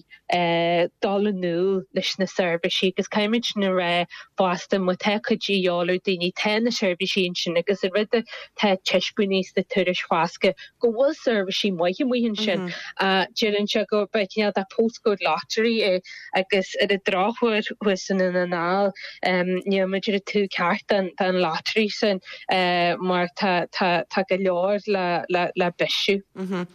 dul anall leis na seirbhísí agus caithfimid sin a rá fosta má tá cuidiú a dhíobháil ar daoine, tá na seirbhísí ansin agus an rud atá taispeánaithe sna tuairisc fosta go bhfuil seirbhísí maithe amuigh ansin. Deireann sé go b'é cineál de postcode lottery é agus ar an drochuair thuas i nDún na nGall níl muid ar an taobh ceart den lottery sin mar tá tá go leor le bisiú.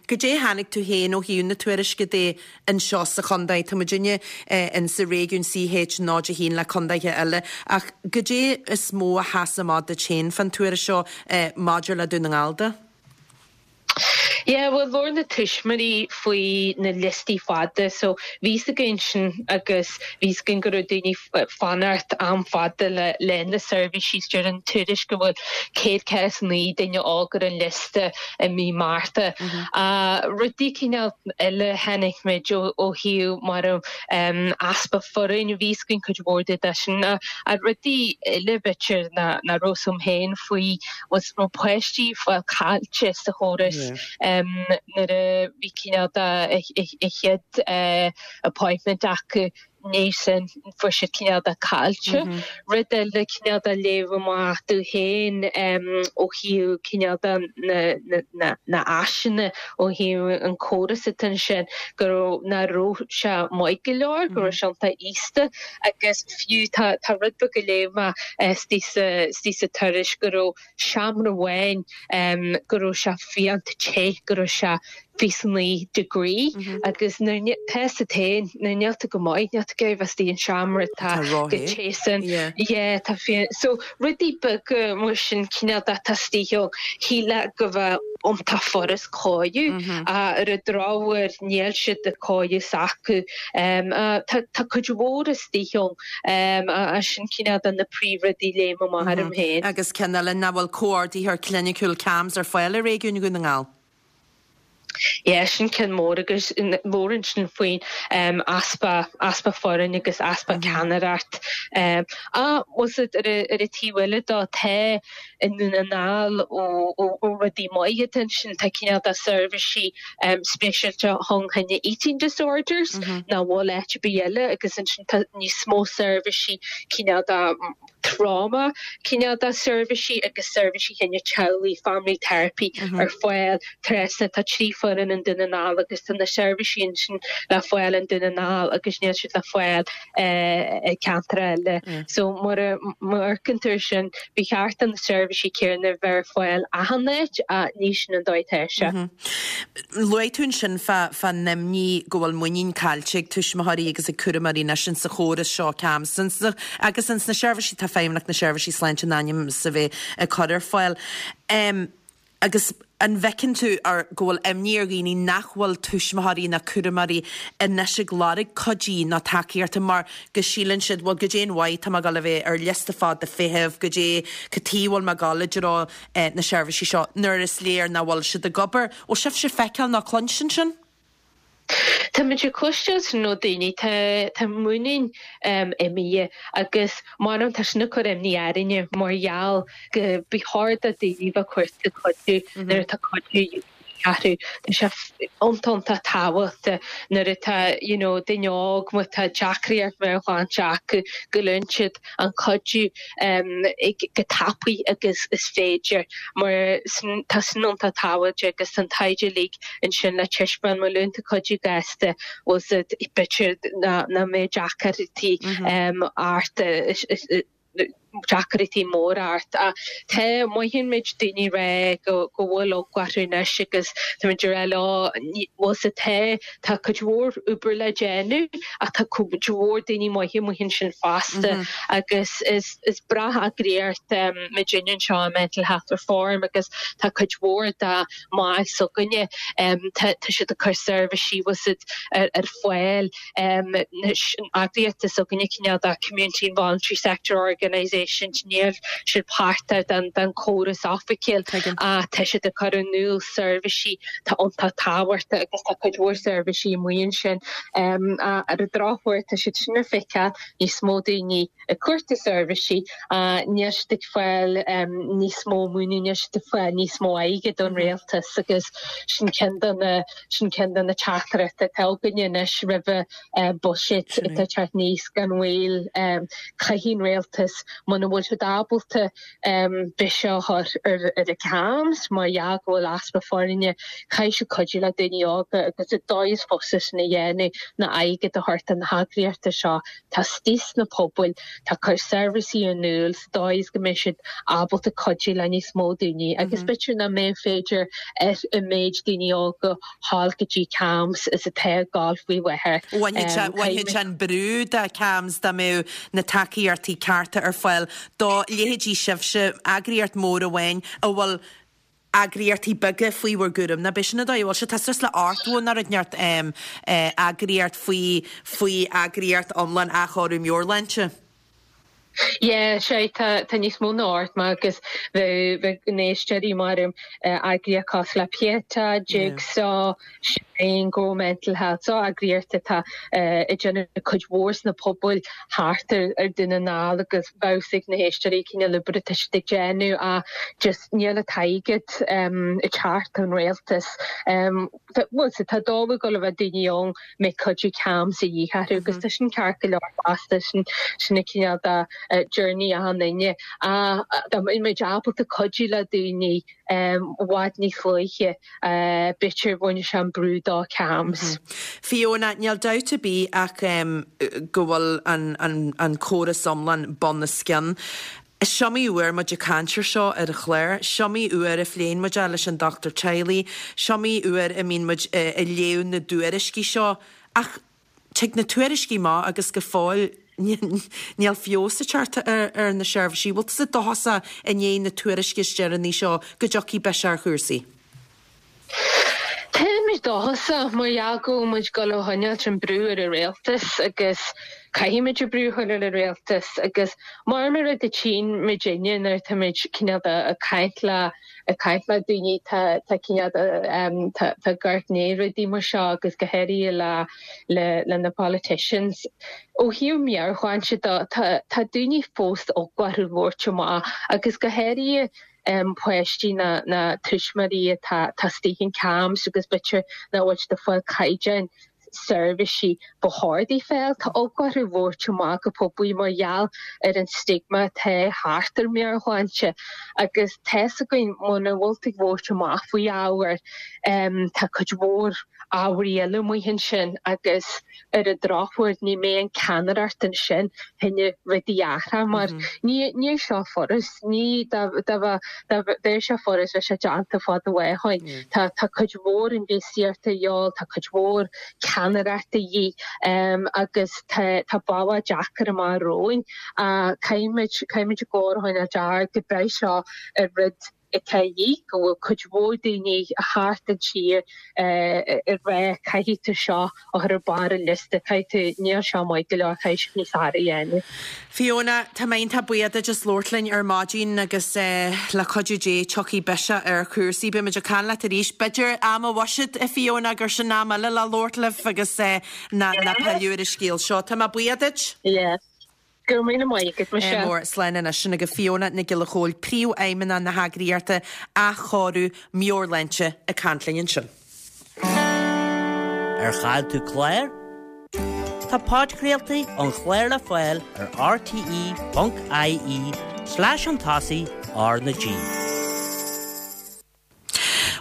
Goidé a chonaic tú féin ó thaobh na tuairisce de anseo sa chontae. Tá muidinne in sa réigiún CH 0 1 le contaetha eile ach goidé is mó a sheas amach duit féin fán tuairisc seo maidir le Dún na nGall de? Yeah, bhuel labhair na tuismitheoirí faoi na liostaí fada so bhí fhios againn sin agus bhí fhios againn go raibh daoine fanacht am fada le le na seirbhísí. Deir an tuairisc go bhfuil 149 duine óg ar an liosta i mí Márta. Rudaí cineál eile a chonaic muid ó thaobh mar easpa foireann, bhí fhios againn cuid mhór de sin. Ach rudaí eile b'fhéidir nach raibh fhios agam féin faoi was raibh páistí fáil caillte sa chóras nuair a bhí cineál de a chéad appointment acu. ndiaidh sin fuair siad cineál de caillte. Rud eile cineál de léamh amach domh féin ó thaobh cineál de na na áiseanna ó thaobh an córas atá ansin go raibh nach raibh sé maith go leor, go raibh sé iontach íosta agus fiú tá tá rud beag a léigh mé istigh sa istigh sa tuairisc go raibh seomra amháin go raibh sé fiánta te, go raibh sé 29 degree agus nuair tá fhios agat féin, nuair níl tú go maith, níl tú ag iarraidh bheith istigh in seomra atá chomh te sin. Yeah, tá fián. So rudaí beaga mar sin cineál de atá istigh ann, shílfeá go bheadh iontach furast cóiriú ach ar an drochuair níl siad ag cóiriú s'acu. Tá tá cuid mhór istigh ann. Sin cineál de na príomhrudaí a léim amach orm féin. Agus ceann eile, nach bhfuil comhordaitheoir cliniciúil CAMHS ar fáil i réigiún Dhún na nGall? Yeah, sin ceann mór agus mór ansin faoin easpa, easpa foireann agus easpa ceannaireacht. Ach, bhfuil fhios agat, ar an taobh eile dó, tá i nDún na nGall ó rudaí maithe atá ansin, tá cineál de seirbhísí speisialta fá choinne eating disorders nach bhfuil áit ar bith eile agus ansin tá níos mó seirbhísí cineál de trauma, cineál de seirbhísí agus seirbhísí fá choinne teaghlaigh, family therapy ar fáil trasna. Tá 3 foireann i nDún na nGall agus tá na seirbhísí ansin le fáil i nDún na nGall agus níl siad le fáil i ceantar eile. So mar a amharcann tú air sin, ba cheart do na seirbhísí céanna bheith ar fáil achan áit ach ní sin an dóigh atá sé. Luaigh tú ansin fán imní go bhfuil muinín caillte ag tuismitheoirí agus ag cúramóirí anois insa chóras seo CAMHS agus ins na seirbhísí atá Feidhmeannacht na Seirbhísí Sláinte in ainm is a bheith ag cur ar fáil. Agus an bhfeiceann tú go bhfuil imní ar dhaoine nach bhfuil tuismitheoirí ná cúramóirí anois ag lorg cuidí nó tacaíochta mar go síleann siad, bhuel, goidé an mhaith tá mé ag dul a bheith ar liosta fada feithimh, goidé cad chuige a bhfuil mé ag dul i dtreo na seirbhísí seo nuair is léir nach bhfuil siad ag obair. Bhfuil sibhse ag feiceáil nó cluinstin sin? Táimid ag cloisteáil sin ó daoine, tá tá muinín imithe agus mar tá sin ag cur imní orainne mar gheall go ba chóir do daoine bheith ag cuartú cuidiú nuair atá cuidiú de dhíth orthu. Tá sé iontach iontach tábhachtach nuair atá you know duine óg má tá deacracht meabhairshláinte acu go bhfaigheann siad an cuidiú chomh tapaidh agus is féidir mar tá sin iontach tábhachtach agus tá an taighde uilig ansin le taispeáint má fhaigheann tú cuidiú gasta bhfuil fhios agat b'fhéidir nach mbeidh deacrachtaí ort deacrachtaí móra ort ach tá mothaíonn muid daoine ag rá go go bhfuil eagla orthu anois agus tá muid ag rá leo bhfuil fhios agat tá Tá cuid mhór obair le déanamh ach tá cuid mhór daoine maithe amuigh ansin fosta agus is breá eagraíocht muidinne anseo i Mental Health Reform agus tá cuid mhór dá mbaill s'againne, tá siad ag cur seirbhísí bhfuil fhios agat ar fáil, an eagraíocht s'againne cineál de Community and Voluntary Sector Organisation. eisint, níl siad páirteach den chóras oifigiúil ach tá siad ag cur in iúl seirbhísí atá iontach tábhachtach agus tá cuid mhór seirbhísí amuigh ansin. Ar an drochuair tá siad sin ag feiceáil níos mó daoine ag cuartú seirbhísí ach níl siad ag fáil níos mó maoiniú, níl siad ag fáil níos mó airgid ón rialtas agus sin ceann de na sin ceann de na teachtaireachtaí atá againne anois roimh buiséad atá ag teacht aníos gan mhoill. Caithfidh an rialtas, muna bhfuil siad ábalta biseach a chur ar ar CAMHS mar gheall go bhfuil easpa foirne, caithfidh siad cuidiú le daoine óga agus an dóigh is fusa sin a dhéanamh ná airgead a thabhairt do na heagraíochtaí seo atá istigh sna pobail, atá ag cur seirbhísí in iúl sa dóigh is go mbeidh siad ábalta cuidiú le níos mó daoine agus b'fhéidir nach mbeidh féidir ar an méid daoine óga ghabháil go dtí CAMHS is atá ag gabháil faoi láthair. Bhainfeadh sé an brú de CAMHS dá mbeadh na tacaíochtaí cearta ar fáil do leithéidí sibhse, eagraíocht mór amháin a bhfuil eagraíochtaí beaga faoi bhur gcúram. Nó b'shin an dóigh a bhfuil sé. Tá suas le 80 nó rud inteacht eagraíocht faoi faoi eagraíocht iomlán athchóiriú meabhairshláinte. Yeah, sea, tá, tá níos mó ná 80 agus bheadh, bheadh na héisteoirí mar eagraíocht cosúil le Pieta, Jigsaw, Shine, Grow Mental Health, so eagraíocht atá ag déanamh cuid mhór sna pobail thart ar ar Dún na nGall agus bheadh a fhios ag na héisteoirí cineál oibre atá siad ag déanamh ach just níl an t-airgead ag teacht ón rialtas. Bhuel, tá dóigh ag dul a bheith daoine ann a mbeidh cuidiú CAMHS a dhíth orthu agus tá sin ceart go leor fosta, sin sin an cineál de journey achan duine. Ach dá mbeadh muid ábalta cuidiú le daoine i bhfad níos luaithe, b'fhéidir bhainfeadh sé an brú de CAMHS. Fiona, níl dabht ar bith ach go bhfuil an córas iomlán bun os cionn. Is iomaí uair muid ag caint ar seo ar an chlár, is iomaí uair a phléann muid é leis an dochtúir teaghlaigh, is iomaí uair a mbíonn muid ag léamh na dtuairiscí seo ach tig na tuairiscí amach agus go fóill níl feabhas ag teacht ar na seirbhísí. Bhfuil tusa dóchasach i ndiaidh na tuairisce is deireanaí seo go dtiocfaidh biseach ar chúrsaí? Táimid dóchasach mar gheall go bhfuil muid ag dul a choinneáilt an brú ar an rialtas agus caithfimid an brú a chur ar an rialtas agus mar mar rud a tchíonn muidinne nuair atáimid cineál de ag caint le ag caint le daoine tá tá cineál de tá tá ag amharc i ndiaidh rudaí mar seo agus go háirithe le le le na politicians. Ó thaobh meabhairshláinte de tá tá daoine fós eaglach orthu labhairt amach agus go háirithe páistí ná tuismitheoirí atá istigh in CAMHS agus b'fhéidir nach bhfuil siad ag fáil caighdeán seirbhísí ba chóir dóibh fáil. Tá eagla orthu labhairt amach go poiblí mar gheall ar an stigma atá thart ar meabhairshláinte agus tá's againn muna bhfuil tú ag labhairt amach faoi ábhar tá cuid mhór ábhairí eile amuigh ansin agus ar an drochuair ní mbeidh an ceannaireacht ansin chun rudaí a athrú mar ní níl seo furast, ní dá dá dá bheadh sé furast bheadh sé déanta fada ó shin. Tá tá cuid mhór infheistíochta a dhíobháil, tá cuid mhór ceannaireachta a dhíth agus tá tá bealach deacair amach romhainn ach caithfimid caithfimid an glór a choinneáil ard go mbeidh seo ar rud atá a dhíth, go bhfuil cuid mhór daoine thart an tír ag rá caithfidh tú seo a chur ar barr an liosta, caithfidh tú, níl seo maith go leor, caithfidh sibh níos fearr a dhéanamh. Fiona, tá mé iontach buíoch duit as labhairt linn ar maidin agus le cuidiú Dé tiocfaidh biseach ar chúrsaí. Beidh muid ag caint leat arís, b'fhéidir am an bhuiséid, a Fiona, gur sin am eile le labhairt libh agus ná pilleadh ar an scéal seo. Tá mé buíoch duit. Yeah. Go raibh míle maith agat, Michelle. Mór. Slán anois. Sin agaibh Fiona Nic Giolla Chóill, Príomhfheidhmeannach na heagraíochta Athchóiriú Meabhairshláinte ag caint linn ansin. Ar chaill tú clár? Tá podchraoltaí an chláir le fáil ar rte.ie slash an tosaigh R na G.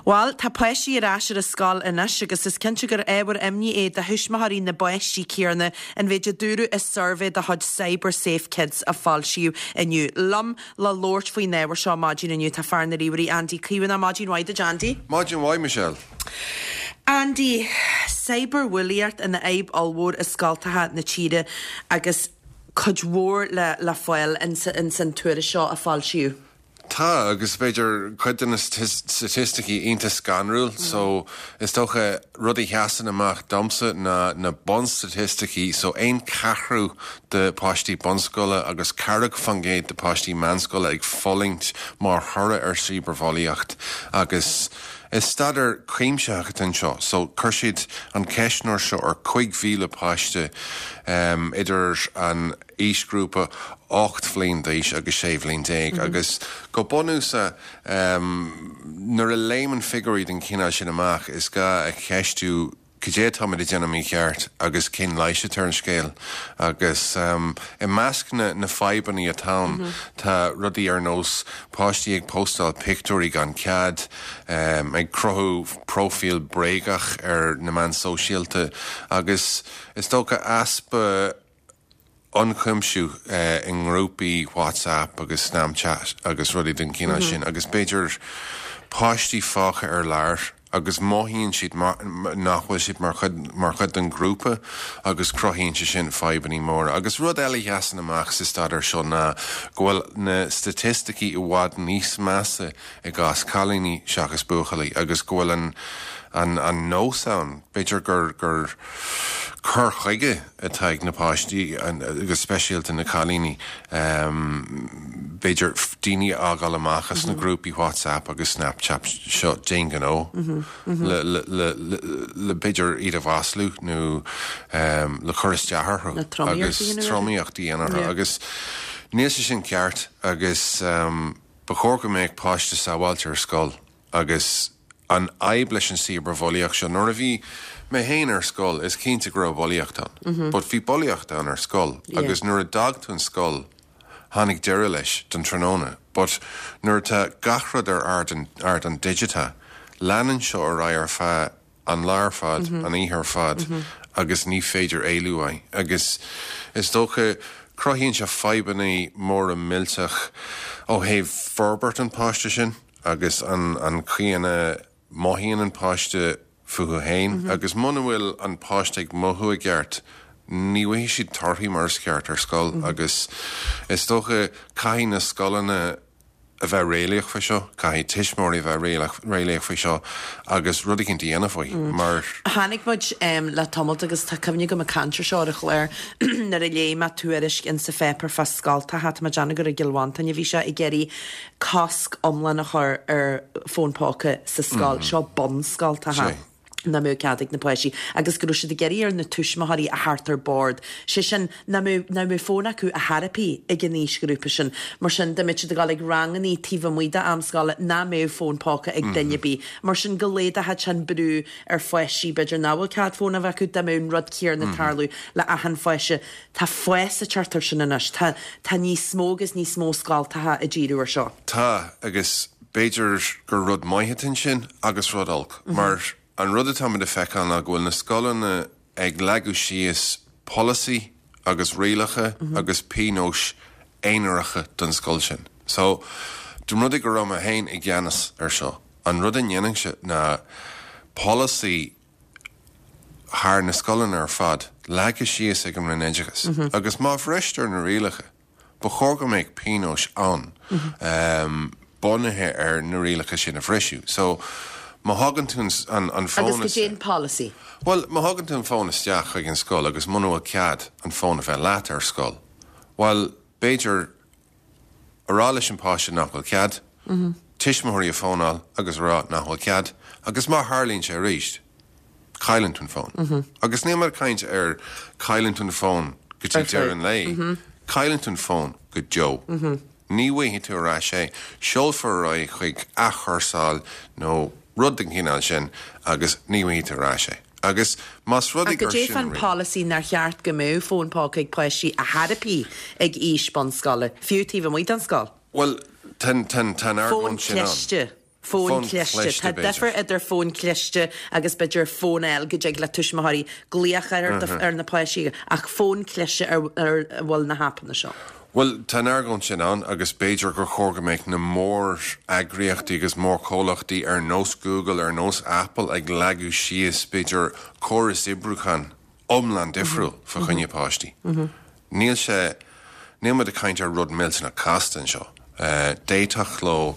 Bhuel, tá páistí ar ais ar an scoil anois agus is cinnte gur ábhar imní é do thuismitheoirí na bpáistí céanna an mhéid a dúradh i suirbhé de chuid CyberSafeKids a foilsíodh inniu. Liom le labhairt faoin ábhar seo maidin inniu tá fear na ríomhairí Andy Caomhánach. Maidin mhaith duit Andy. Maidin mhaith Michelle. Andy, cyberbhulaíocht ina fhadhb ollmhór i scoltacha na tíre agus cuid mhór le le fáil ins an tuairisc seo a foilsíodh. Tá, agus b'fhéidir cuid de na staitisticí iontach scanrúil, so is dócha rud a sheasann amach domsa ná na bunstaitisticí, so aon cheathrú de páistí bunscoile agus 40% de páistí meánscoile ag fulaingt mar thoradh ar cibearbhulaíocht agus is staidéar cuimsitheach atá anseo, so chuir siad an ceistneoir seo ar 5,000 páiste idir an aoisghrúpa 8 bhliain d'aois agus 16 bhliain agus go bunúsach nuair a léimeann figiúirí den chineál sin amach is gá a cheistiú cad é atáimid ag déanamh mícheart agus cén leigheas atá ar an scéal agus i measc na na fadhbanna atá ann tá rudaí ar nós páistí ag póstáil pictiúirí gan cead, ag cruthú próifíl bréagach ar na meáin sóisialta agus is dócha easpa ionchuimsiú i ngrúpaí WhatsApp agus Snapchat agus rudaí den chineál sin agus b'fhéidir páistí fágtha ar lár agus mothaíonn siad nach bhfuil siad mar chuid mar chuid den ghrúpa agus cruthaíonn sé sin fadhbanna móra. Agus rud eile a sheasann amach sa staidéar seo ná go bhfuil na staitisticí i bhfad níos measa i gcás cailíní seachas buachaillí agus go bhfuil an an an nós ann, b'fhéidir gur gur cur chuige atá ag na páistí, go speisialta na cailíní, b'fhéidir daoine a fhágáil amach as na grúpaí WhatsApp agus Snapchat seo d'aon ghnó le le b'fhéidir iad a mhaslú nó le cur isteach orthu agus tromaíocht a dhéanamh orthu agus níl sé sin ceart agus ba chóir go mbeadh páiste sábháilte ar scoil. Agus an fhadhb leis an cibearbhulaíocht seo, nuair a bhí mé féin ar scoil, is cinnte go raibh bulaíocht ann. But bhí bulaíocht ann ar scoil agus nuair a d'fhág tú an scoil, tháinig deireadh leis don tráthnóna. But nuair atá gach rud ar ardán digiteach, leanann seo ar aghaidh ar feadh an lá ar fad, an oíche ar fad agus ní féidir éalú uaidh. Agus is dócha, cruthaíonn sé fadhbanna móra millteach ó thaobh forbairt an pháiste sin agus an an chaoi ina mothaíonn an páiste fúthu féin agus muna bhfuil an páiste ag mothú i gceart, ní bhfaighidh siad torthaí mar is ceart ar scoil agus is dócha caithfidh na scoileanna a bheith réalaíoch faoi seo, caithfidh tuismitheoirí a bheith réalaíoch faoi seo agus rud eicínt a dhéanamh faoi mar. Chonaic muid le tamalt agus tá cuimhne agam ag caint ar seo ar an chlár nuair a léigh mé tuairisc insa pháipéar fá scoltacha, tá mé ag déanamh gur i gCill Mhantáin a bhí sé, ag iarraidh cosc iomlán a chur ar fón póca sa scoil, seo bunscoltacha. nach mbeadh cead ag na páistí agus go raibh siad ag iarraidh ar na tuismitheoirí a theacht ar bord, sé sin, nach mbeadh, nach mbeadh fón acu ar chor ar bith ag an aoisghrúpa sin. Mar sin, dá mbeadh siad ag dul ag rangannaí taobh amuigh d'am scoile, nach mbeadh fón póca ag duine ar bith. Mar sin, go laghdódh sé an brú ar pháistí, b'fhéidir, nach bhfuil cead fón a bheith acu, dá mbeadh an rud céanna ag tarlú le achan pháiste. Tá fás ag teacht air sin anois. Tá, tá níos mó agus níos mó scoltacha ag díriú ar seo. Tá, agus b'fhéidir gur rud maith atá ansin agus rud olc, mar an rud atáimid a feiceáil ná go bhfuil na scoileanna ag leagadh síos polasaí agus rialacha agus pionóis aonaracha don scoil sin. So, dá mba rud é go raibh mé féin i gceannas ar seo, an rud a ndéanfainnse ná polasaí thar na scoileanna ar fad, leagtha síos ag an Roinn Oideachais, agus má bhristear na rialacha, ba chóir go mbeadh pionóis ann bunaithe ar na rialacha sin a bhriseadh. So, má thagann tú an an fón Agus goidé an polasaí? Bhuel, má thagann tú an fón isteach chuig an scoil agus muna bhfuil cead an fón a bheith leat ar scoil, bhuel, b'fhéidir a rá leis an páiste nach bhfuil cead, tuismitheoirí a fónáil agus a rá nach bhfuil cead, agus má tharlaíonn sé arís, cailleann tú an fón. Agus níl mé ag caint ar cailleann tú an fón go dtí deireadh an lae, cailleann tú an fón go deo. Ní bhfaighidh tú ar ais é, seolfar ar aghaidh chuig athchúrsáil nó rud den chineál sin agus ní bhfaighidh tú ar ais é. Agus más rud é gur sin. Ach goidé fán polasaí nár cheart go mbeadh fón póca ag páistí ar chor ar bith ag aois bunscoile, fiú taobh amuigh den scoil? Bhuel, tá an Fón argóint sin ann. cliste. Fón Fón cliste. cliste, Tá b'fhéidir. difear idir fón cliste agus b'fhéidir fón eile go dtig le tuismitheoirí glaoch ar ar na páistí ach fón cliste ar ar a bhfuil na haipeanna seo. Bhuel, tá an argóint sin ann agus b'fhéidir gur chóir go mbeadh na mór-eagraíochtaí agus mórchomhlachtaí ar nós Google, ar nós Apple ag leagadh síos, b'fhéidir, córas oibriúcháin iomlán difriúil fá choinne páistí. Níl sé, níl muid ag caint ar rud millteanach casta anseo. D'fhéadfadh leo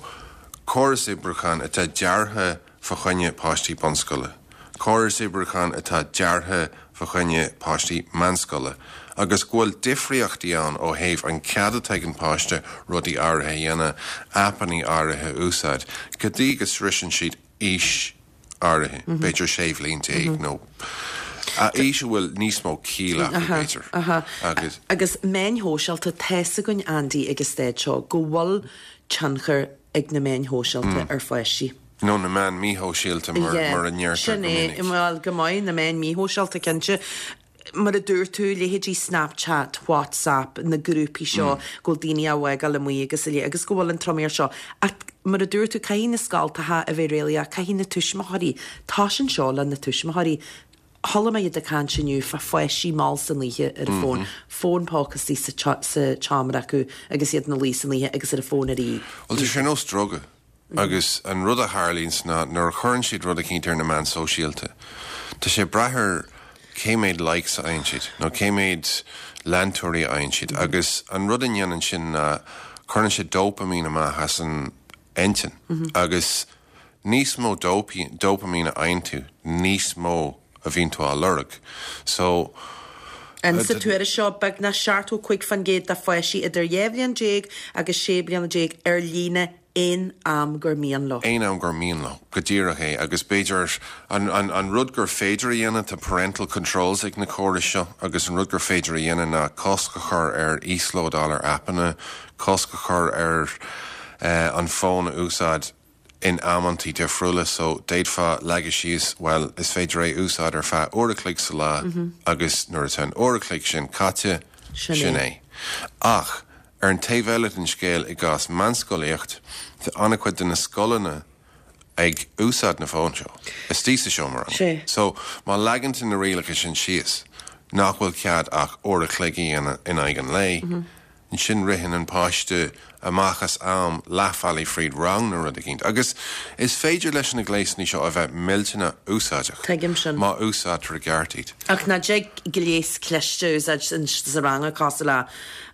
córas oibriúcháin atá deartha fa choinne páistí bunscoile, córas oibriúcháin atá deartha fa choinne páistí meánscoile, agus go bhfuil difríochtaí ann ó thaobh an cead atá ag an páiste rudaí áirithe a dhéanamh, aipeanna áirithe a úsáid, go dtí go sroiseann siad aois áirithe, b'fhéidir 16 bhliain nó aois a bhfuil níos mó ciall acu, b'fhéidir. Agus. Agus meáin shóisialta, tá's againn, Andy, ag an staid seo, go bhfuil tionchar ag na meáin shóisialta ar pháistí. Nó na meáin míshóisialta, mar a ndeirtear go minic. Sin é, bhuel, go maith, na meáin míshóisialta, cinnte. Mar a dúirt tú, leithéidí Snapchat, WhatsApp, na grúpaí seo go bhfuil daoine á bhfágáil amuigh agus a leithéid, agus go bhfuil an tromaíocht seo. Ach mar a dúirt tú, caithfidh na scoltacha a bheith réalaíoch, caithfidh na tuismitheoirí, tosaíonn seo le na tuismitheoirí. Chuala mé iad ag caint inniu fá pháistí mall san oíche ar an bhfón, fón póca istigh sa tseomra acu agus iad ina luí san oíche agus ar an bhfón ar Bhuel, tá sé ar nós druga. Agus an rud a tharlaíonns ná nuair a chuireann siad rud eicínt ar na meáin sóisialta, tá sé ag brath ar cé méad likes a fhaigheann siad nó cé méad leantóirí a fhaigheann siad. Agus an rud a ndéanann sin ná cuireann sé dópaimín amach as an intinn. Agus níos mó dópaimín a fhaigheann tú, níos mó a bhíonn tú á lorg. So. In sa tuairisc seo, beagnach 75% de pháistí idir 12 bhliain agus 16 bliana ar líne aon am gur mian leo. Aon am gur mian leo, go díreach é. Agus b'fhéidir, an, an, an rud gur féidir a dhéanamh, tá parental controls ag na córais seo, agus an rud gur féidir a dhéanamh ná cosc a chur ar íoslódáil ar aipeanna, cosc a chur ar eh, an fón a úsáid in amantaí difriúla. So, d'fhéadfá leagadh síos, bhuel, is féidir é a úsáid ar feadh uair a chloig sa lá agus nuair atá an uair a chloig sin caite, sin é. Ach, Ar an taobh eile den scéal, i gcás meánscolaíocht, tá an-chuid de na scoileanna ag úsáid na fóin seo istigh sa seomra ranga. So, má leagann tú na rialacha sin síos, nach bhfuil cead ach uair a chloig a dhéanamh in aghaidh an lae, ansin ritheann an páiste amach as am leathbhealaigh fríd rang nó rud eicínt. Agus is féidir leis na gléasanna seo a bheith millteanach úsáideach Tuigim sin. má úsáidtear i gceart iad. Ach ná dtig gléas cliste a úsáid sa rang cosúil le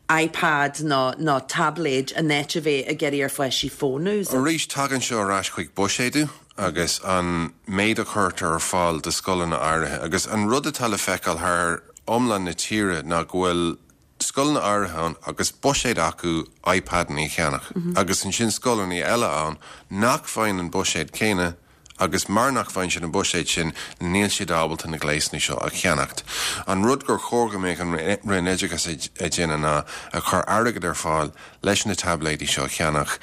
iPad nó nó táibléid in áit a bheith ag iarraidh ar pháistí fón a úsáid. Arís, tagann seo ar ais chuig buiséadú agus an méid a chuirtear ar fáil do scoileanna áirithe. Agus an rud atá le feiceáil thar iomlán na tíre ná go bhfuil scoileanna áirithe ann agus buiséad acu iPadanna a cheannach agus ansin scoileanna eile ann nach bhfaigheann an buiséad céanna agus mar nach bhfaigheann siad an buiséad sin níl siad ábalta na gléasanna seo a cheannacht. An rud gur chóir go mbeadh an Roinn Oideachais ag déanamh ná a chur airgead ar fáil leis na taibléidí seo a cheannach,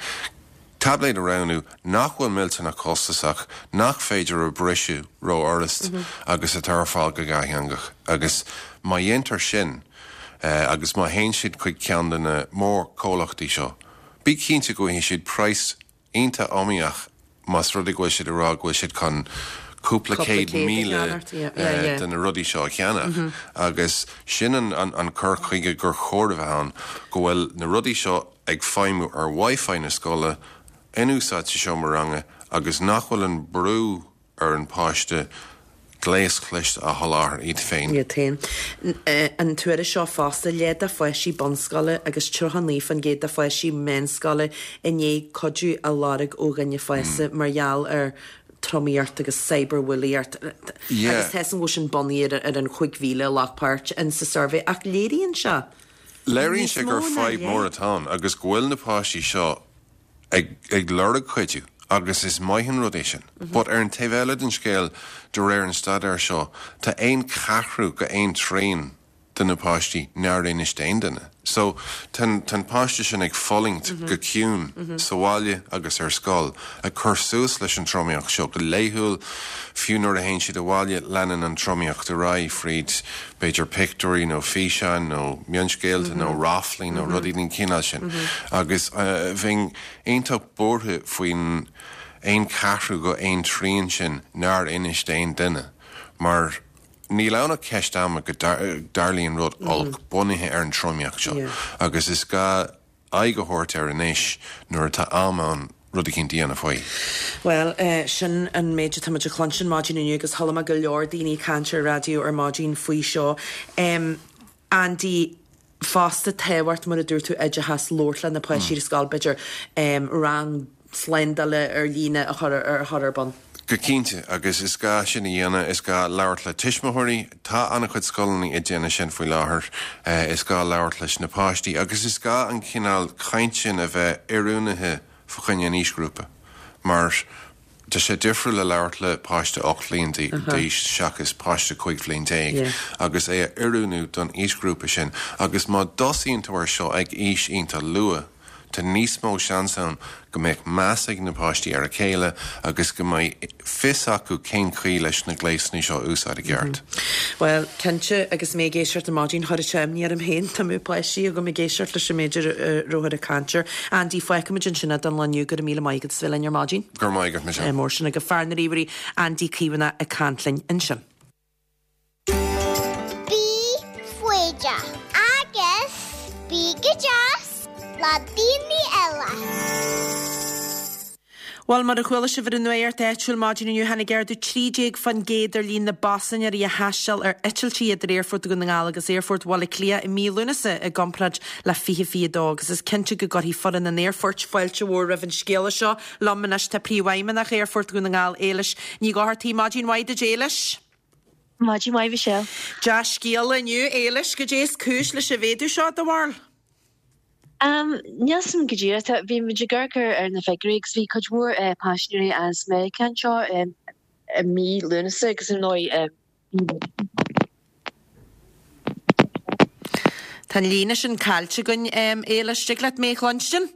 taibléad a roghnú nach bhfuil millteanach costasach, nach féidir a briseadh ró-fhurast agus atá ar fáil go dhátheangach. Agus má dhéantar sin agus má théann siad chuig ceann de na mórchomhlachtaí seo, bí cinnte go bhfaighidh siad praghas iontach iomaíoch más rud é go bhfuil siad ag rá go bhfuil siad chun cúpla 100,000 de na rudaí seo a cheannach agus sin an cur chuige gur chóir a bheith ann, go bhfuil na rudaí seo ag feidhmiú ar Wi-Fi na scoile, in úsáid sa seomra ranga agus nach bhfuil an brú ar an bpáiste gléas cliste a sholáthar iad féin. Iad féin. An tuairisc seo fosta, leath de pháistí bunscoile agus 39% de pháistí meánscoile i ndiaidh cuidiú a lorg ó dhuine fásta mar gheall ar tromaíocht agus cyberbhulaíocht agus tá a fhios agam go bhfuil sin bunaithe ar an 5,000 a ghlac páirt in sa suirbhé ach léiríonn sé Léiríonn sé gur fadhb mór atá ann agus go bhfuil na páistí seo ag lorg cuidiú agus is maith an rud é sin. But ar an taobh eile den scéal, de réir an staidéir seo, tá aon cheathrú go aon trian de na páistí nár inis d'aon duine. So, tá an páiste sin ag fulaingt go ciúin sa bhaile agus ar scoil, ag cur suas leis an tromaíocht seo go laethúil, fiú nuair a théann siad abhaile, leanann an tromaíocht ar aghaidh fríd b'fhéidir pictiúirí nó físeáin nó mionscéalta nó ráflaí nó rudaí den chineál sin. Agus bheinn iontach buartha faoin aon cheathrú go aon trian sin nár inis d'aon duine mar níl ann ach ceist ama go dtarlaíonn rud olc bunaithe ar an tromaíocht seo agus is gá aghaidh a thabhairt air anois nuair atá am ann rud eicínt a dhéanamh faoi. Bhuel, sin an méid atá muid a chluinstin maidin inniu agus chuala mé go leor daoine ag caint ar raidió ar maidin faoi seo. Andy. Fosta tábhacht, mar a dúirt tú, oideachas, labhairt le na páistí ar scoil, b'fhéidir rang slándála ar líne a chur a chur ar bun. Go cinnte, agus is gá sin a dhéanamh, is gá labhairt le tuismitheoirí, tá an-chuid scoileanna ag déanamh sin faoi láthair, is gá labhairt leis na páistí agus is gá an cineál caint sin a bheith oiriúnaithe fa choinne an aoisghrúpa mar tá sé difriúil le labhairt le páiste 8 bhliain d'aois seachas páiste 15 bhliain agus é a oiriúnú don aoisghrúpa sin agus má dtosaíonn tú ar seo ag aois iontach luath, Tá níos mó seans ann go mbeadh meas ag na páistí ar a chéile agus go mbeidh fios acu cén chaoi leis na gléasanna seo a úsáid i gceart. Bhuel, cinnte, agus mé ag éisteacht ar maidin, chuir sé imní orm féin dá mbeadh páistí agam ag éisteacht leis an méid a rabhthar ag caint air. Andy, fágfaimid ansin é don lá inniu. Go raibh míle maith agat as bheith linn ar maidin. Go raibh maith agat, Michelle. Mór sin agaibh. Fear na ríomhairí, Andy Caomhánach ag caint linn ansin. Bí foighdeach agus bí go deas le daoine eile. Bhuel, mar a chuala sibh ar an nuacht áitiúil maidin inniu, tháinig ardú 13% ar líon na bpaisinéirí a thaisteal ar eitiltí idir Aerfort Dhún na nGall agus Aerfort Bhaile Átha Cliath i mí Lúnasa i gcomparáid le 2022 agus is cinnte go gcuirfidh foireann an aerfoirt fáilte mhór roimh an scéala seo. Liom anois tá Príomhfheidhmeannach Aerfort Dhún na nGall, Éilis Ní Dhochartaigh. Maidin mhaith duit, Éilis. Maidin mhaith, Michelle. Dea-scéala inniu, Éilis. Goidé is cúis leis an mhéadú seo, do bharúil? Níl 's a'm go díreach. Bhí muid ag amharc ar na figiúirí agus bhí cuid mhór paisinéirí as Meiriceá anseo i mí Lúnasa agus ar ndóigh Tá an líne sin caillte againn, Éilis. Dtig leat mé a chluinstin?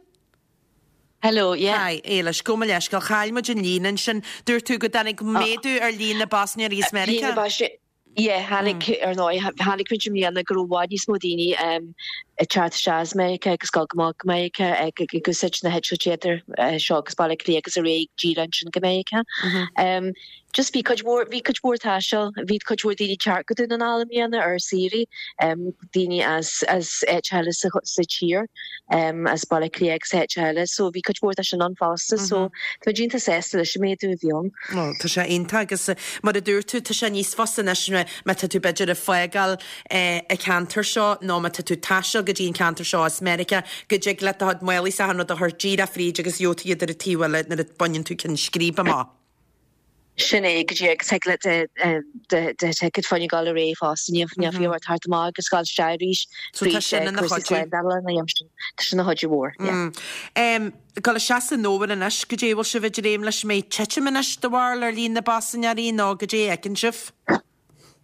Hello, yeah. Hi, Éilis, gabh mo leithscéal, chaill muid an líne ansin. Dúirt tú go dtáinig méadú ar líon na bpaisinéirí as Meiriceá? Líon na bpaisinéirí, yeah, tháinig, ar ndóigh, chonaic muid i mbliana go raibh i bhfad níos mó daoine ag teacht isteach as Meiriceá agus ag dul go Meiriceá ag úsáid na heitiltí idir seo agus Baile Átha Cliath agus ar aghaidh díreach ansin go Meiriceá. Just bhí cuid mhór, bhí cuid mhór taisteal, bhí cuid mhór daoine ag teacht go Dún na nGall i mbliana ar saoirí, daoine as, as áit eile sa, sa tír, as Baile Átha Cliath agus áit eile, so bhí cuid mhór de sin ann fosta, so tá muid iontach sásta leis an méadú a bhí ann. Ó, tá sé iontach agus mar a dúirt tú, tá sé níos fusa anois má tá tú b'fhéidir ag fágáil an ceantar seo nó má tá tú ag taisteal go dtí an ceantar seo as Meiriceá, go dtig leat do chuid málaí is achan rud a chur díreach fríd agus gheobhaidh tú iad ar an taobh eile nuair a baineann tú ceann scríbe amach. Sin é go díreach agus thig leat do thicéad fá choinne dul ar aghaidh fosta ní ní fiú ort teacht amach agus dul isteach arís So tá sin ina cúrsaí chuidiú. slándála ina dhiaidh sin. Tá sin ina chuidiú mhór, yeah. Em, dul isteach san fhómhar anois, goidé a bhfuil sibh ag dréim leis, an mbeidh titim anois do bharúil ar líon na bpaisinéirí nó goidé a fheiceann sibh?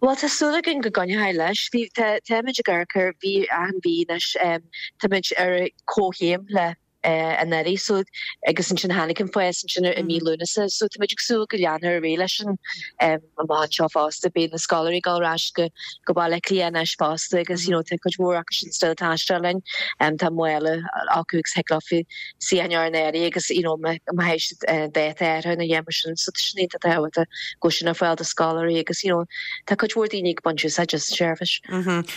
Bhuel tá súil againn go gcoinneoidh leis. Bhí, tá, táimid ag amharc ar mhí achan mhí anois, em, táimid ar comhchéim le anuraidh so agus ansin tháinig an fás ansin i mí Lúnasa so tá muid ag súil go leanfar ar aghaidh leis sin amach anseo fosta. Beidh na scoláirí ag dul ar ais go go Baile Átha Cliath anois fosta agus you know tá cuid mhór acu sin still ag taisteal linn. Tá mála acu agus thig leo suíochán a chur in áirithe agus you know má má théid siad dáta áirithe ina dhiaidh mar sin so tá sin iontach tábhachtach go bhfuil sin ar fáil do scoláirí agus you know tá cuid mhór daoine ag baint úsáid as an seirbhís.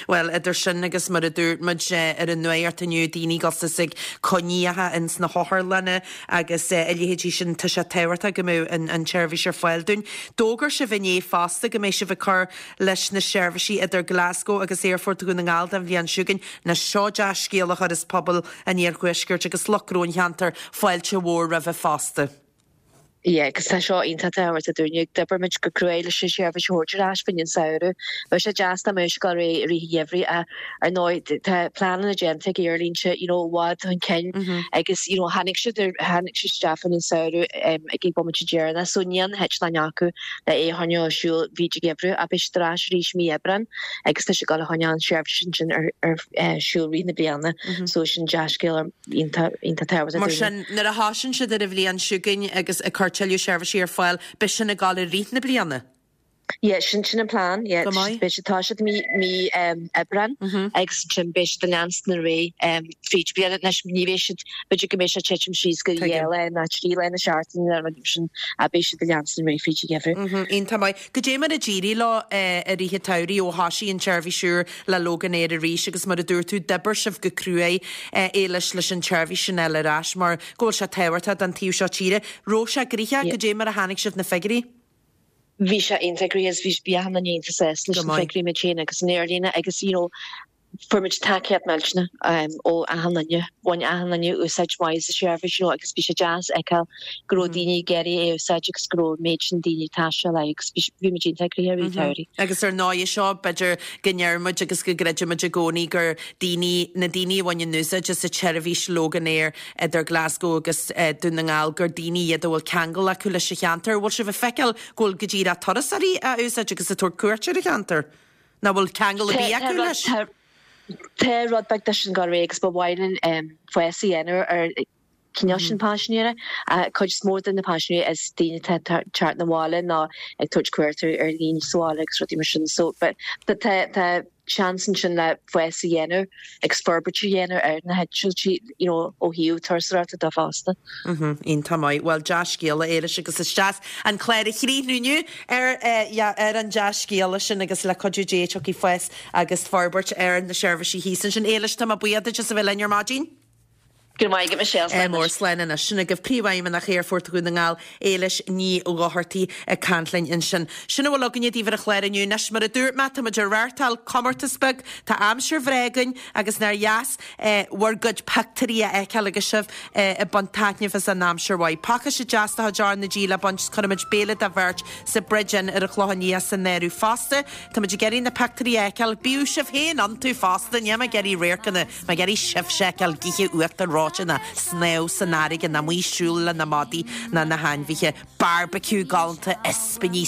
Bhuel, idir sin agus mar a dúirt muid ar an nuacht inniu, daoine ag dul suas ag coinníocha ins na hotharlanna agus a leithéidí sin, tá sé tábhachtach go mbeadh an tseirbhís ar fáil dúinn. D'fhógair sibh inné fosta go mbeidh sibh ag cur leis na seirbhísí idir Glasgow agus Aerfort Dhún na nGall don bhliain seo chugainn. Anois seo dea-scéal a chuireas pobal an iarthuaiscirt agus lucht gnó an cheantair fáilte mhór roimhe fosta. Yeah, agus tá seo iontach tábhachtach dúinne. D'oibir muid go cruaidh leis an seirbhís a thabhairt ar ais fá choinne an samhradh. Bheadh sé deas dá mbeadh sé ag dul ar aghaidh i rith an gheimhridh ach ar ndóigh tá pleananna déanta ag aerlínte you know i bhfad chun cinn agus you know tháinig siad ar tháinig siad isteach fá choinne an samhradh ag an bomaite deireanach so níl na heitleáin acu le é a choinneáil ar siúl fríd an gheimhreadh ach beidh siad ar ais arís mí Aibreán agus tá siad ag dul a choinneáil an seirbhís ansin ar ar siúl rith na bliana so sin dea-scéal ar iontach iontach tábhachtach Mar sin, nuair a thosaíonn siad ar an bhliain seo chugainn agus ag cur tuilleadh seirbhísí ar fáil, beidh sin ag dul i rith na bliana? Yeah, sin sin an plean, yeah. Go maith. Beidh siad tá siad mí mí Aibreán agus ansin beidh siad ag leanstan ar aghaidh fríd an bhliain. Anois ní bheidh siad, b'fhéidir go mbeidh sé ag titim síos go dhá lá nó trí lá na seachtaine nó rud mar sin ach beidh siad ag leanstan ar aghaidh fríd an gheimhreadh. Iontach maith. Goidé mar a d'éirigh leo i rith an tsamhraidh ó thoisigh an tseirbhís úr le Loganair arís agus mar a dúirt tú, d'oibir sibh go cruaidh Éilis leis an tseirbhís sin a fháil ar ais mar go bhfuil sé tábhachtach don taobh seo tíre. Raibh sé gnoitheach? Goidé mar a chonaic sibh na figiúirí? Bhí sé iontach gnoitheach agus bhí achan duine iontach sásta leis na figiúirí muid féin agus an aerlíne agus you know. Fuair muid tacaíocht millteanach ó achan duine. Bhain achan duine úsáid mhaith as an seirbhís, you know, agus bhí sé deas a fheiceáil go raibh daoine ag iarraidh é a úsáid agus go raibh an méid sin daoine ag taisteal air agus bhí muid iontach gnoitheach i rith an tsamhraidh. Agus ar ndóigh seo, b'fhéidir go ndeir muid agus go gcreideann muid i gcónaí gur daoine, na daoine a bhaineann úsáid as an tseirbhís Loganair idir Glasgow agus Dún na nGall, gur daoine iad a bhfuil ceangal acu leis an cheantar. Bhfuil sibh ag feiceáil go bhfuil go díreach turasóirí á úsáid agus ag tabhairt cuairt ar an cheantar? Nach bhfuil ceangal ar bith acu leis? Tá rud beag de sin ag dul ar aghaidh agus ba mhaith linn fás a dhéanamh ar an chineál sin paisinéirí. Cuid is mó de na paisinéirí is daoine atá ag teacht 'na bhaile nó ag tabhairt cuairt ar dhaoine sa bhaile agus rudaí mar sin. So tá seans ansin le fás a dhéanamh agus forbairt a dhéanamh ar na heitiltí you know, ó thaobh turasóireachta de fosta. Iontach maith. Bhuel, dea-scéala, Éilis, agus is deas an clár a chríochnú inniu ar, yeah, ar an dea-scéala sin agus le cuidiú Dé tiocfaidh fás agus forbairt ar na seirbhísí thíos ansin. Éilis, tá mé buíoch duit as a bheith linn ar maidin. Go raibh maith agat, Michelle. Slán mór, slán anois. Sin agaibh Príomhfheidhmeannach Aerfort Dhún na nGall, Éilis Ní Dhochartaigh ag caint linn ansin. Sin a bhfuil againne daoibh ar an chlár inniu. Anois, mar a dúirt mé, tá muid ag reáchtáil comórtas beag. Tá aimsir bhreá againn agus nár dheas bhur gcuid pictiúirí a fheiceáil agus sibh ag baint taitneamh as an aimsir mhaith. Pacáiste deas de chuid R na G le baint is cuirfimid béile do bheirt sa Bridge Inn ar an Chlochán Liath san áireamh fosta. Táimid ag iarraidh na pictiúirí a fheiceáil. Bíodh sibh féin iontu fosta. Níl mé ag iarraidh radharcanna, mé ag iarraidh sibhse a fheiceáil ag ithe uachtar reoite ná snámh san fharraige ná amuigh ag siúl le na madaí ná na hainmhithe. Barbecue galánta, ispíní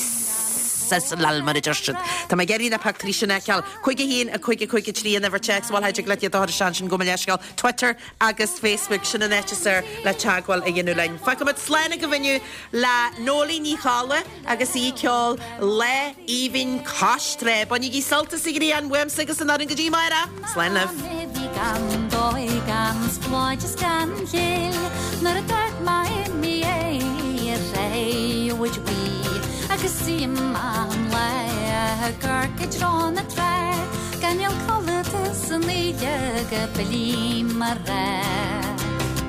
sizzle mar a deir siad. Tá mé ag iarraidh na pictiúirí sin a fheiceáil. 5 1 5 5 3 an uimhir téacs, bhuel thig leat iad a chur isteach ansin gabh mo leithscéal. Twitter agus Facebook, sin an áit is fearr le teagmháil a dhéanamh linn. Fágfaimid slán agaibh inniu le Noeleen Ní Cholla agus í ag ceol Lá Aoibhinn Cois Trá. Bainigí sult as an ghrian uaimse agus an fhoireann go dtí amárach. Slán libh. Bhí gan dóigh gan spláid is gan chill nuair a dúirt Maimí é ar ré bhuí agus í amach an lá ag amharc i dtreo na trá gan níl codlata san oíche go billí mar é.